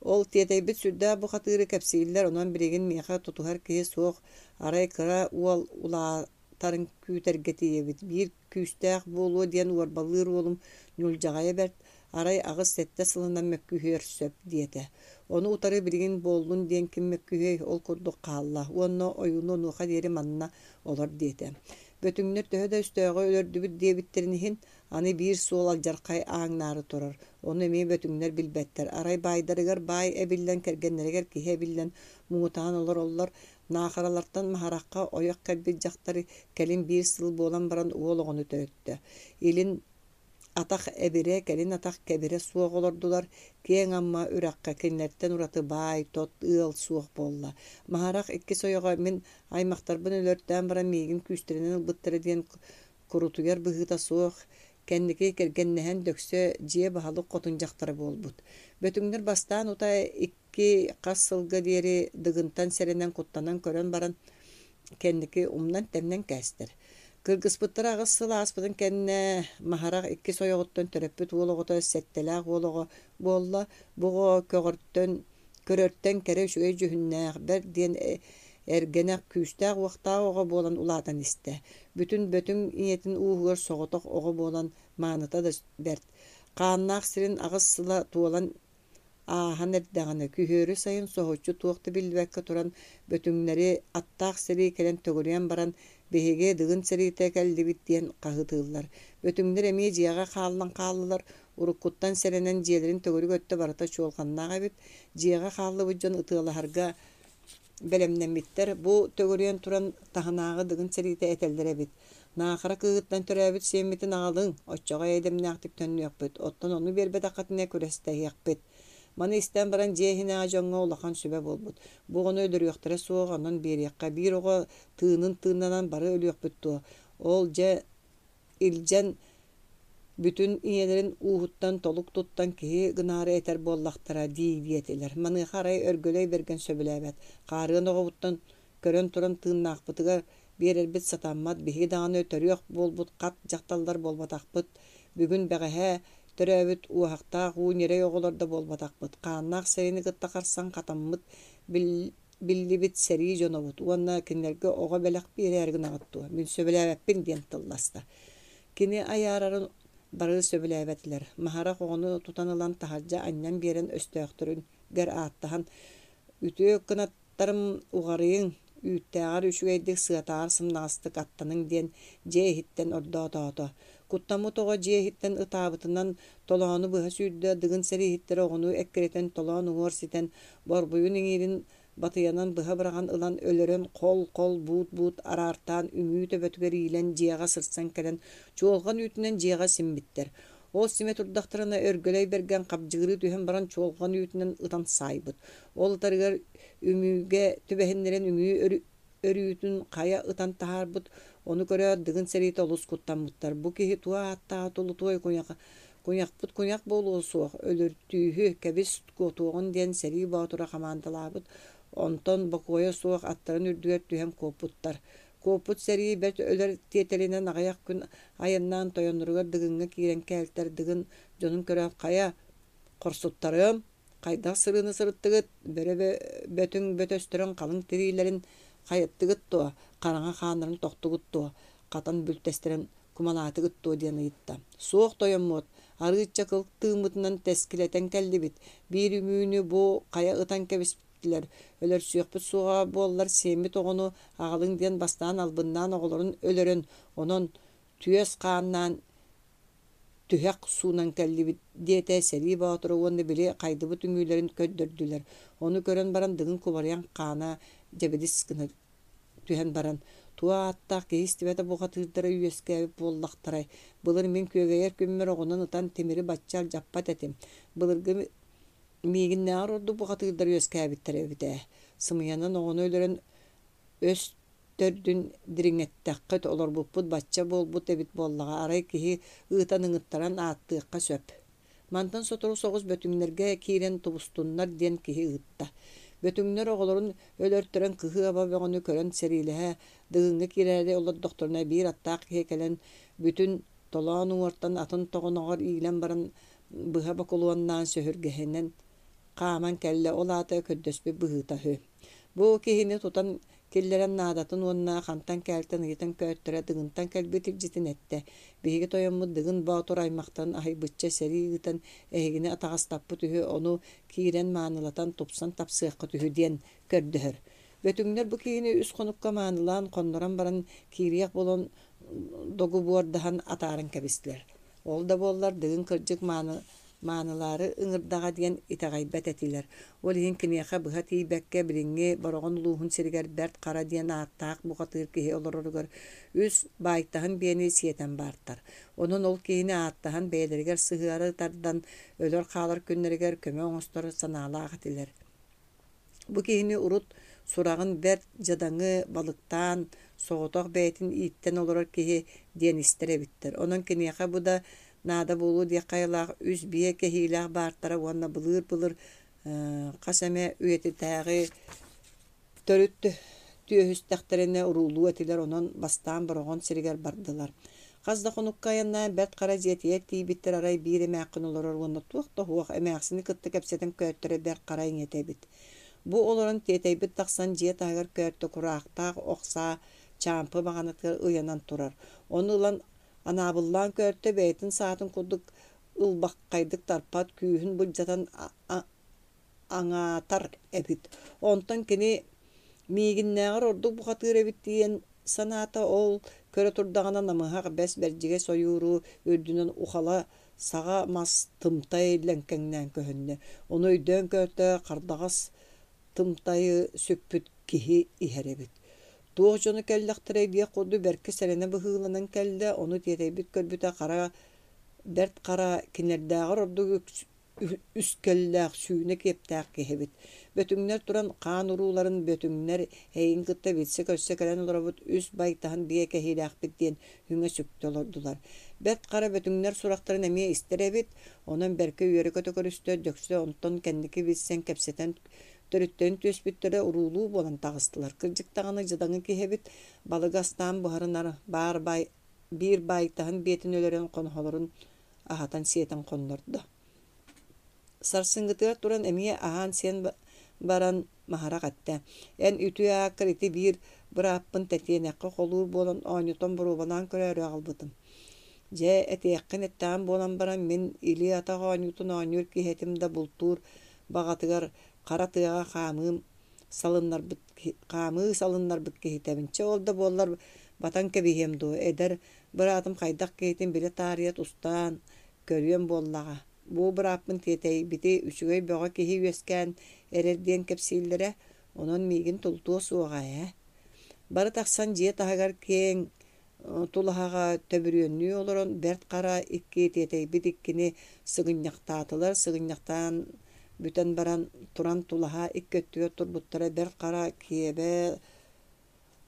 Ол тиэтэйбит сүрдээх бухатыыры кэпсииллэр, онон билигин миэхэ тутуһар киһи суох, арай кыра уол улаатарын күүтэргэ тиийэбит. Биир күүстээх буолуо диэн уорбалыыр уолум ньулдьаҕайа бэрт, арай аҕыс-сэттэ сылынан мөккүһүөр сөп диэтэ. Ону утары билигин буоллун диэн ким мөккүһүөй, ол курдук хаалла уонна ойууну онуоха диэри манна олор диэтэ. Бөтүҥнэр төһө да өстөөҕү өлөрдүбүт диэбиттэрин иһин, аны биир суол алдьархай ааҥнаары турар. Ону эмиэ бөтүҥнэр билбэттэр. Арай баайдарыгар баай эбиллэн, кэргэннэригэр киһи эбиллэн муҥутаан олороллор. Наахаралартан Маһарахха ойох кэлбит дьахтар кэлин биир сыл буолан баран уол оҕону төрөттө. Илин атах эбирэ, кэлин атах кэбирэ суох олордулар. Киэҥ Амма үрэххэ кинилэртэн ураты баай, тот ыал суох буолла. Маһарах иккис ойоҕо мин аймахтарбын өлөртөөн баран миигин күүстэринэн ылбыттара диэн курутуйар быһыыта суох, кэнники кэргэннэһэн дөксө дьиэ баһылык хотун дьахтара буолбут. Бөтүҥнэр бастаан утаа икки хас сылга диэри Дыгынтан сэрэнэн куттанан көрөн баран кэнники умнан-тэмнэн кээстэр. Кыргыспыттара аҕыс сыл ааспытын кэннэ Маһарах иккис ойоҕуттан төрөппүт уол оҕото сэттэлээх уол оҕо буолла. Бу оҕо көҕөртөн, көрөртөн кэрэ үчүгэй дьүһүннээх, бэрт диэн эргэнэх, күүстээх-уохтаах оҕо буолан улаатан истэ. Бүтүн Бөтүҥ ийэтин ууһугар соҕотох оҕо буолан мааныта да бэрт. Хааннаах сирин аҕыс сыла туолан Ааһан эрдэҕинэ, күһүөрү сайын соһуччу туох да биллибэккэ туран, Бөтүҥнэри аттаах сэрии кэлэн төгүрүйэн баран, «Биһиги Дыгын сэриитэ кэллибит» диэн хаһыытыыллар. Бөтүҥнэр эмиэ дьиэҕэ хааллан хааллылар. Уруккуттан сэрэнэн дьиэлэрин төгүрүк өттө барыта чуолҕаннаах эбит. Дьиэҕэ хааллыбыт дьон ытыалаһарга бэлэмнэммиттэр. Бу төгүрүйэн туран таһынааҕы Дыгын сэриитэ этэллэр эбит: «Наахара кыыһыттан төрөөбүт сиэммитин аҕалыҥ, оччоҕо эйэ-дэмнээхтик төннүөхпүт, оттон ону биэрбэтэххитинэ күрэстэһиэхпит». Маны истэн баран дьиэ иһинээҕи дьоҥҥо улахан сүбэ буолбут. Бу оҕону өлөрүөхтэрэ суох, онон биэриэххэ. Биир оҕо тыынын тыыннанан бары өлүөхпүт дуо? Ол дьэ илдьэн бүтүн ийэлэрин ууһуттан толук туттан киһи гынаары этэр буоллахтара дии диэтилэр. Маныаха арай Өргөлөй Бэргэн сөбүлээбэт. Хаарыан оҕобуттан көрөн туран тыыннаахпытыгар биэрэрбит сатаммат. Биһиги даҕаны төрүөх буолбут хат дьахталлар буолбатахпыт. Бүгүн бэҕэһээ төрөөбүт уоһахтаах уу ньирэй оҕолор да буолбатахпыт. Хааннаах сэриини кытта харсан хатаммыт биллибит сэрии дьонобут уонна кинилэргэ оҕо бэлэх биэрээри гынаҕыт дуо? Мин сөбүлээбэппин диэн тылласта. Кини айаарарын бары сөбүлээбэтилэр. Маһарах оҕону тутан ылан таһырдьа анньан биэрэн өстөөхтөрүгэр ааттаһан «Үтүө кынаттарым уҕарыйыҥ, үүттээҕэр үчүгэйдик, сыатааҕар сымнаҕастык аттаныҥ» диэн дьиэ иһиттэн ордоотоото. Куттаммыт оҕо дьиэ иһиттэн ытаабытынан толоону быһа сүүрдэ, Дыгын сэрииһиттэрэ оҕону эккирэтэн толоон уҥуор ситэн, борбуйун иҥиирин батыйанан быһа быраҕан ылан өлөрөн хол-хол буут-буут араартаан үҥүү төбөтүгэр иилэн дьиэҕэ сырсан кэлэн чуолҕан үүтүнэн дьиэҕэ симмиттэр. Ол симэ турдахтарына Өргөлөй Бэргэн хабдьыгырыы түһэн баран чуолҕан үүтүнэн ытан саайбыт. Ол ытарыгар үҥүүгэ түбэһиннэрэн үҥүү өрүүтүн хайа ытан таһаарбыт. Ону көрөөт Дыгын сэриитэ олус куттаммыттар. Бу киһи туох ааттааҕа тулутуой куйах Куйахпыт куйах буолуо суох, өлөртүүһү, кэбис куотуоҕун диэн сэрии боотура хамаандалаабыт. Онтон бокуойа суох аттарын үрдүгэр түһэн куоппуттар. Куоппут сэрии бэрт өлөр тиэтэлинэн аҕыйах күн айаннаан тойонноругар Дыгыҥҥа киирэн кээлтэр. Дыгын дьонун көрөөт хайа, хорсуттарым, хайдах сырыыны сырыттыгыт, бөрө бөтүҥ бөтөстөрүн халыҥ тириилэрин хайыттыгыт дуо, хараҥа хааннарын тохтугут дуо, хатан бүлтэстэрин кумалаатыгыт дуо диэн ыйытта. Суох тойоммут, арыычча кыл тыыммытынан тэскилэтэн кэллибит. Биир үҥүүнү бу хайа ытан кэбиспитилэр. Өлөрсүөхпүт суоҕа буоллар сиэммит оҕону аҕалыҥ диэн бастаан албыннаан оҕолорун өлөрөн, онон түөс хааннаан түһэх суунан кэллибит диэтэ сэрии боотура уонна били хайдыбыт үҥүүлэрин көрдөрдүлэр. Ону көрөн баран Дыгын кубарыйан хаана дьэбидис гына түһэн баран туох ааттаах киһи истибэтэ бухатыырдара үөскээбит буоллахтарай. Былыр мин күөгэйэр күммэр оҕунан ытан тимири бачча алдьаппат этим. Былыргы миигиннээҕэр ордук бухатыырдар үөскээбиттэр эбит ээ. Сымыйанан оҕону өлөрөн өс төрдүн дириҥэттэххит, олорбуппут бачча буолбут эбит буоллаҕа, арай киһи ыытан ыҥыттаран ааттыахха сөп. Мантан сотору соҕус Бөтүҥнэргэ киирэн тубустуннар диэн киһи ыытта. Бөтүҥнэр оҕолорун өлөртөрөн кыһыы-аба бөҕөнү көрөн сэриилэһэ Дыгыҥҥа киирээри олордохторуна биир аттаах киһи кэлэн бүтүн толоон уҥуортан атын тоҕоноҕор иилэн баран быһа бокулуоннаан сөһүргэһинэн хааман кэллэ, ол аата көрдөспүт быһыыта үһү. Бу киһини тутан киллэрэн наадатын уонна хантан кээлтэн ыйытан көттөрө Дыгынтан кэлбит илдьитин эттэ. Биһиги тойоммут Дыгын Боотур аймахтарын аһыйбычча сэрии ыытан эһигини атаҕастаппыт үһү, ону киирэн маанылатан тупсан тапсыаххыт үһү диэн көрдөһөр. Бөтүҥнэр бу киһини үс хонукка маанылаан хоннорон баран киириэх буолан догубуордаһан атааран кэбистилэр. Ол да буоллар Дыгын кырдьык мааны маанылаары ыҥырдаҕа диэн итэҕэйбэт этилэр. Ол иһин киниэхэ быһа тиийбэккэ билиҥҥи Бороҕон улууһун сиригэр Бэрт Хара диэн ааттаах бухатыыр киһи олороругар үс баайтаһын биэни сиэтэн баартар. Онон ол киһини ааттаһан бэйэлэригэр сыһыары тардан өлөр-хаалар күннэригэр көмө оҥостор санаалаах этилэр. Бу киһини урут сураҕын бэрт дьадаҥы, балыктаан, соҕотох бэйэтин ииттэн олорор киһи диэн истэр эбиттэр. Онон киниэхэ бу да наада буолуо диэххэ айылаах үс биэ кэһиилээх баартара уонна былыыр-былыр хас эмэ үйэтитээҕи төрүт түөһүстэхтэринэ уруулуу этилэр, онон бастаан Бороҕон сиригэр бардылар. Хас да хонукка айаннаан Бэрт Хара дьиэтигэр тиийбиттэр арай биир эмээххин олорор уонна туох да суох эмээхсини кытта кэпсэтэн көттөрө Бэрт Хара ийэтэ эбит. Бу олорон тиэтэйбит тахсан дьиэ таһыгар көттө кураахтаах ох саа чаампы баҕанатыгар ыйанан турар. Ону ылан анаабыллаан көттө бэйэтин саатын курдук ылбаххайдык тарпат күүһүн былдьатан аҥаатар эбит. Онтон кини миигиннээҕэр ордук бухатыыр эбит диэн санаата ол көрө турдаҕына намыһах бэс бэрдьигэс ойууру үрдүнэн ухала саҕа мас тымтай лэҥкэҥнээн көһүннэ. Ону өйдөөн көртө хардаҕас тымтайы сүкпүт киһи иһэр эбит. Туох дьоно кэллэхтэрэй диэх курдук бэркэ сэрэнэ быһыыланан кэллэ, ону тиэтэйбит көрбүтэ хара бэрт хара кинилэрдээҕэр ордук үскэллээх, сүүнэ киэптээх киһи эбит. Бөтүҥнэр туран хаан урууларын Бөтүҥнэр эйигин кытта билсэ-көрсө кэлэн олоробут, үс байтаһын биэ кэһиилээхпит диэн үҥэ-сүктэ олордулар. Бэрт Хара Бөтүҥнэр сурахтарын эмиэ истэр эбит, онон бэркэ үөрэ-көтө көрүстэ. Дьөксө онтон кэнники билсэн кэпсэтэн төрүттэрин түөспүттэрэ уруулуу буолан таҕыстылар. Кырдьык даҕаны дьадаҥы киһи эбит, балыгы астаан буһарынар, баар баай биир байтаһын биэтин өлөрөн хоноһолорун аһатан-сиэтэн хоннордо. Сарсыҥҥытыгар туран эмиэ аһаан-сиэн баран Маһарах эттэ: «Эн үтүө ааккар ити биир бырааппын тэтиэнэххэ холуур буолан оонньотон боруобалаан көрөөрү аҕалбытым. Дьэ, этиэххин эттэҕим буолан баран, мин илии-атах оонньуутун оонньуур киһи этим да бултуур баҕатыгар хара тыаҕа хаамыым салыннарбыт хаамыы салыннарбыт киһитэбин. Чэ, ол да буоллар батан кэбиһиэм дуо, эдэр быраатым хайдах киһитин билэ таарыйа тустаан көрүөм буоллаҕа. Бу бырааппын тиэтэйбити үчүгэй бөҕө киһи үөскээн эрэр диэн кэпсииллэрэ, онон миигин тулутуо суоҕа ээ». Бары тахсан дьиэ таһыгар киэҥ тулаһаҕа төбүрүөннүү олорон Бэрт Хара икки тиэтэйбит иккини сыгынньахтаатылар, сыгынньахтаан бүтэн баран туран тулаһа икки өттүгэр турбуттара Бэрт Хара киэбэ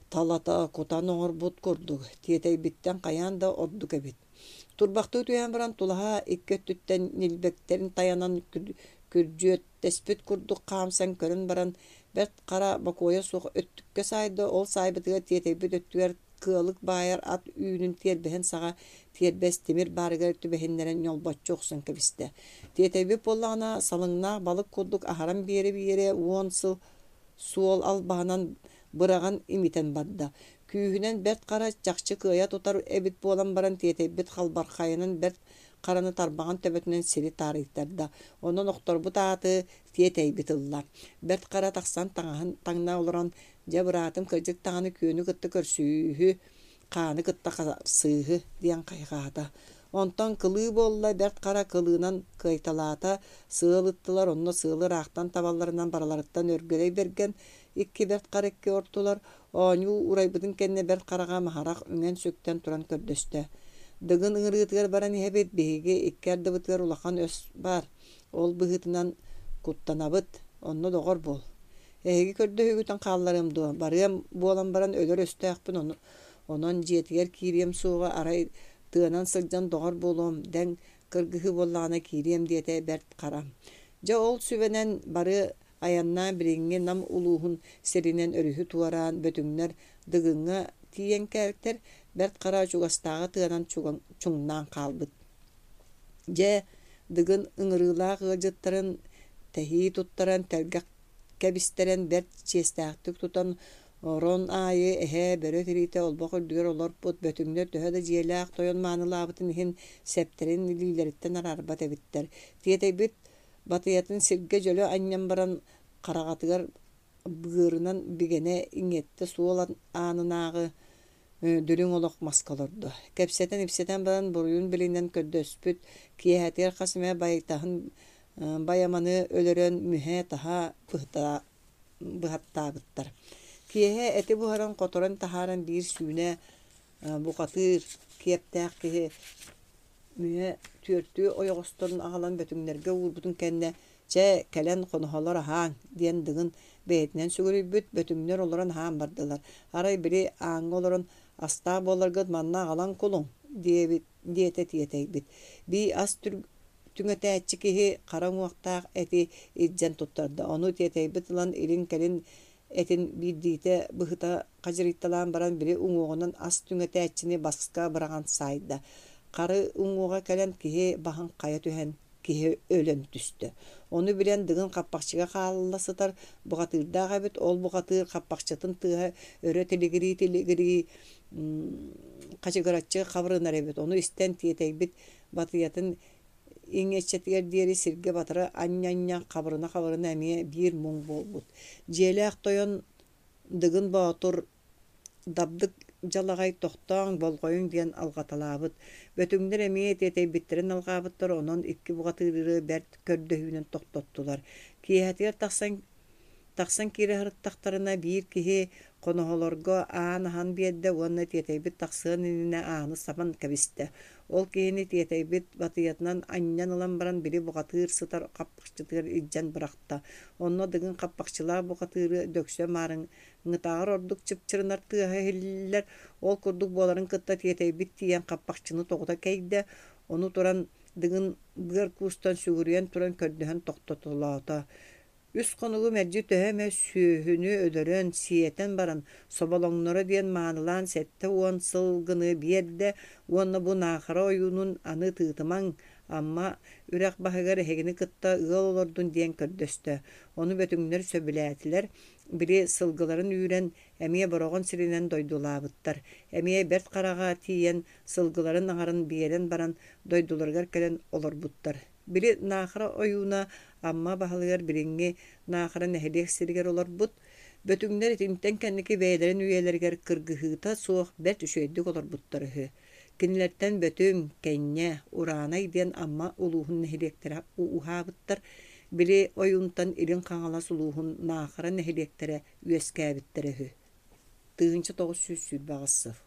талата кутан оҥорбут курдук, тиэтэйбиттэн хайаан да ордук эбит. Турбахтыы түһэн баран тулаһа икки өттүттэн ньилбэктэрин тайанан күрдьүөттэспит курдук хаамсан көрөн баран Бэрт Хара бокуойа суох өттүккэ саайда, ол саайбытыгар тиэтэйбит өттүгэр кыалык баайар ат үүнүн тиэрбэһин саҕа тиэрбэс тимир баарыгар түбэһиннэрэн ньолбоччу охсон кэбистэ. Тиэтэйбит буоллаҕына салыҥнаах балык курдук аһаран биэрэ-биэрэ уон сыл суол албаһынан быраҕан имитэн барда. Күүһүнэн Бэрт Хара чахчы кыайа тутар эбит буолан баран тиэтэйбит халбархайынан Бэрт Хараны тарбаҕын төбөтүнэн сири таарыйтарда. Онон охторбут ааты тиэтэйбит ылла. Бэрт Хара тахсан таҥаһын таҥна олорон, дьэ быраатым кырдьык даҕаны күөнү кытта көрсүүһү, хааны кытта харсыыһы диэн хайҕаата. Онтон кылыы буолла, Бэрт Хара кылыынан кыайталаата, сыал ыттылар, онно сыалы ыраахтан табалларынан барыларыттан Өргөлөй Бэргэн икки Бэрт Хара икки ортулар. Оонньуу урайбытын кэннэ Бэрт Хараҕа Маһарах үҥэн-сүктэн туран көрдөстө. Дыгын ыҥырыытыгар баран иһэбит, биһиги икки ардыбытыгар улахан өс баар, ол быһыытынан куттанабыт, онно доҕор буол. Эһиги көрдөһүүгүтүн хаалларыам дуо, барыам буолан баран өлөр өстөөхпүн, ону, онон дьиэтигэр киириэм суоҕа, арай тыанан сылдьан доҕор буолуом, дэҥ кыргыһыы буоллаҕына киириэм диэтэ Бэрт Хара. Дьэ ол сүбэнэн бары айаннаан билиҥҥи Нам улууһун сиринэн өрүһү туораан Бөтүҥнэр Дыгыҥҥа тиийэн кэлтэр, Бэрт Хара чугастааҕы тыанан чуҥнаан хаалбыт. Дьэ, Дыгын ыҥырыылаах ыалдьыттарын тэһии туттаран, тэлгэх кэбистэрэн бэрт чиэстээхтик тутан, орон аайы эһэ, бөрө тириитэ олбох үрдүгэр олорпут Бөтүҥнэр төһө да дьиэлээх тойон маанылаабытын иһин сэптэрин илиилэриттэн араарбат эбиттэр. Тиэтэйбит батыйатын сиргэ дьөлө анньан баран хараҕатыгар быарынан бигэнэ иҥиэттэ суол аанынааҕы дүлүҥ олох маска олордо. Кэпсэтэн-ипсэтэн баран буруйун билинэн көрдөспүт, киэһэтигэр хас эмэ байтаһын байаманы өлөрөн мүһэ-таһа быһаттаабыттар. Киэһэ эти буһаран хоторон таһааран биир сүүнэ бухатыыр киэптээх киһи мүһэ түөртүү ойоҕосторун аҕалан Бөтүҥнэргэ уурбутун кэннэ «Чэ, кэлэн хоноһолор аһааҥ» диэн Дыгын бэйэтинэн сүгүрүйбүт, Бөтүҥнэр олорон аһаан бардылар. Арай били ааҥҥа олорон «Астаах буоларгыт манна аҕалан кулуҥ» диэбит диэтэ тиэтэйбит. Бии ас түҥэтээччи киһи хара уҥуохтаах эти илдьэн туттарда. Ону тиэтэйбит ылан илин-кэлин этин биирдиитэ быһыта хадьырыйталаан баран били уҥуоҕунан ас түҥэтээччини баска быраҕан саайда. Хары уҥуоҕа кэлэн киһи баһын хайа түһэн киһи өлөн түстэ. Ону билэн Дыгын хаппахчыга хаалла сытар бухатыырдаах эбит, ол бухатыыр хаппахчытын тыаһа өрө тилигирии-тилигирии хачыгыраччы хабырынар эбит. Ону истэн тиэтэйбит батыйатын иҥиэччэтигэр диэри сиргэ батары анньа-анньа хабырына-хабырына эмиэ биир муҥ буолбут. Дьиэлээх тойон Дыгын Боотур Дабдык дьалаҕай тохтооҥ, болҕойуҥ диэн алҕаталаабыт. Бөтүҥнэр эмиэ тиэтэйбиттэрин алҕаабыттар, онон икки бухатыыры бэрт көрдөһүүнэн тохтоттулар. Киэһэтигэр тахсан тахсан киирэ сырыттахтарына биир киһи Хоноһолорго аан аһан биэрдэ уонна Тиэтэйбит тахсыан иннинэ ааны сабан кэбистэ. Ол киһини Тиэтэйбит батыйатынан анньан ылан баран били бухатыыр сытар хаппахчытыгар илдьэн бырахта. Онно Дыгын хаппахчылаах бухатыыры дөксө маарыҥҥытааҕар ордук чыпчырынар тыаһа иһиллэр. Ол курдук буоларын кытта Тиэтэйбит тиийэн хаппахчыны тоҕута кэйдэ. Ону туран Дыгын быар куустан сүгүрүйэн туран көрдөһөн тохтотолоото. Үс хонугу мэлдьи төһө эмэ сүөһүнү өлөрөн, сиэтэн баран, соболоҥноро диэн маанылаан сэттэ уон сылгыны биэрдэ уонна бу Наахара ойуунун аны тыытымаҥ, Амма үрэх баһыгар эһигини кытта ыал олордун диэн көрдөстө. Ону бөтүҥнэр сөбүлээтилэр, били сылгыларын үүрэн, эмиэ Бороҕон сиринэн дойдулаабыттар. Эмиэ Бэрт Хараҕа тиийэн, сылгыларын аҥарын биэрэн баран, дойдуларыгар кэлэн олорбуттар. Били Наахара ойууна Амма баһылыгар билиҥҥи Наахара нэһилиэк сиригэр олорбут. Бөтүҥнэр итинтэн кэнники бэйэлэрин үйэлэригэр кыргыһыыта суох бэрт үчүгэйдик олорбуттар үһү. Кинилэртэн Бөтүҥ, Кэнньэ, Ураанай диэн Амма улууһун нэһилиэктэрэ ууһаабыттар. Били ойуунтан Илин Хаҥалас улууһун Наахара нэһилиэктэрэ үөскээбиттэрэ үһү. Тыһыынча тоҕус сүүс сүүрбэ аҕыс сыл.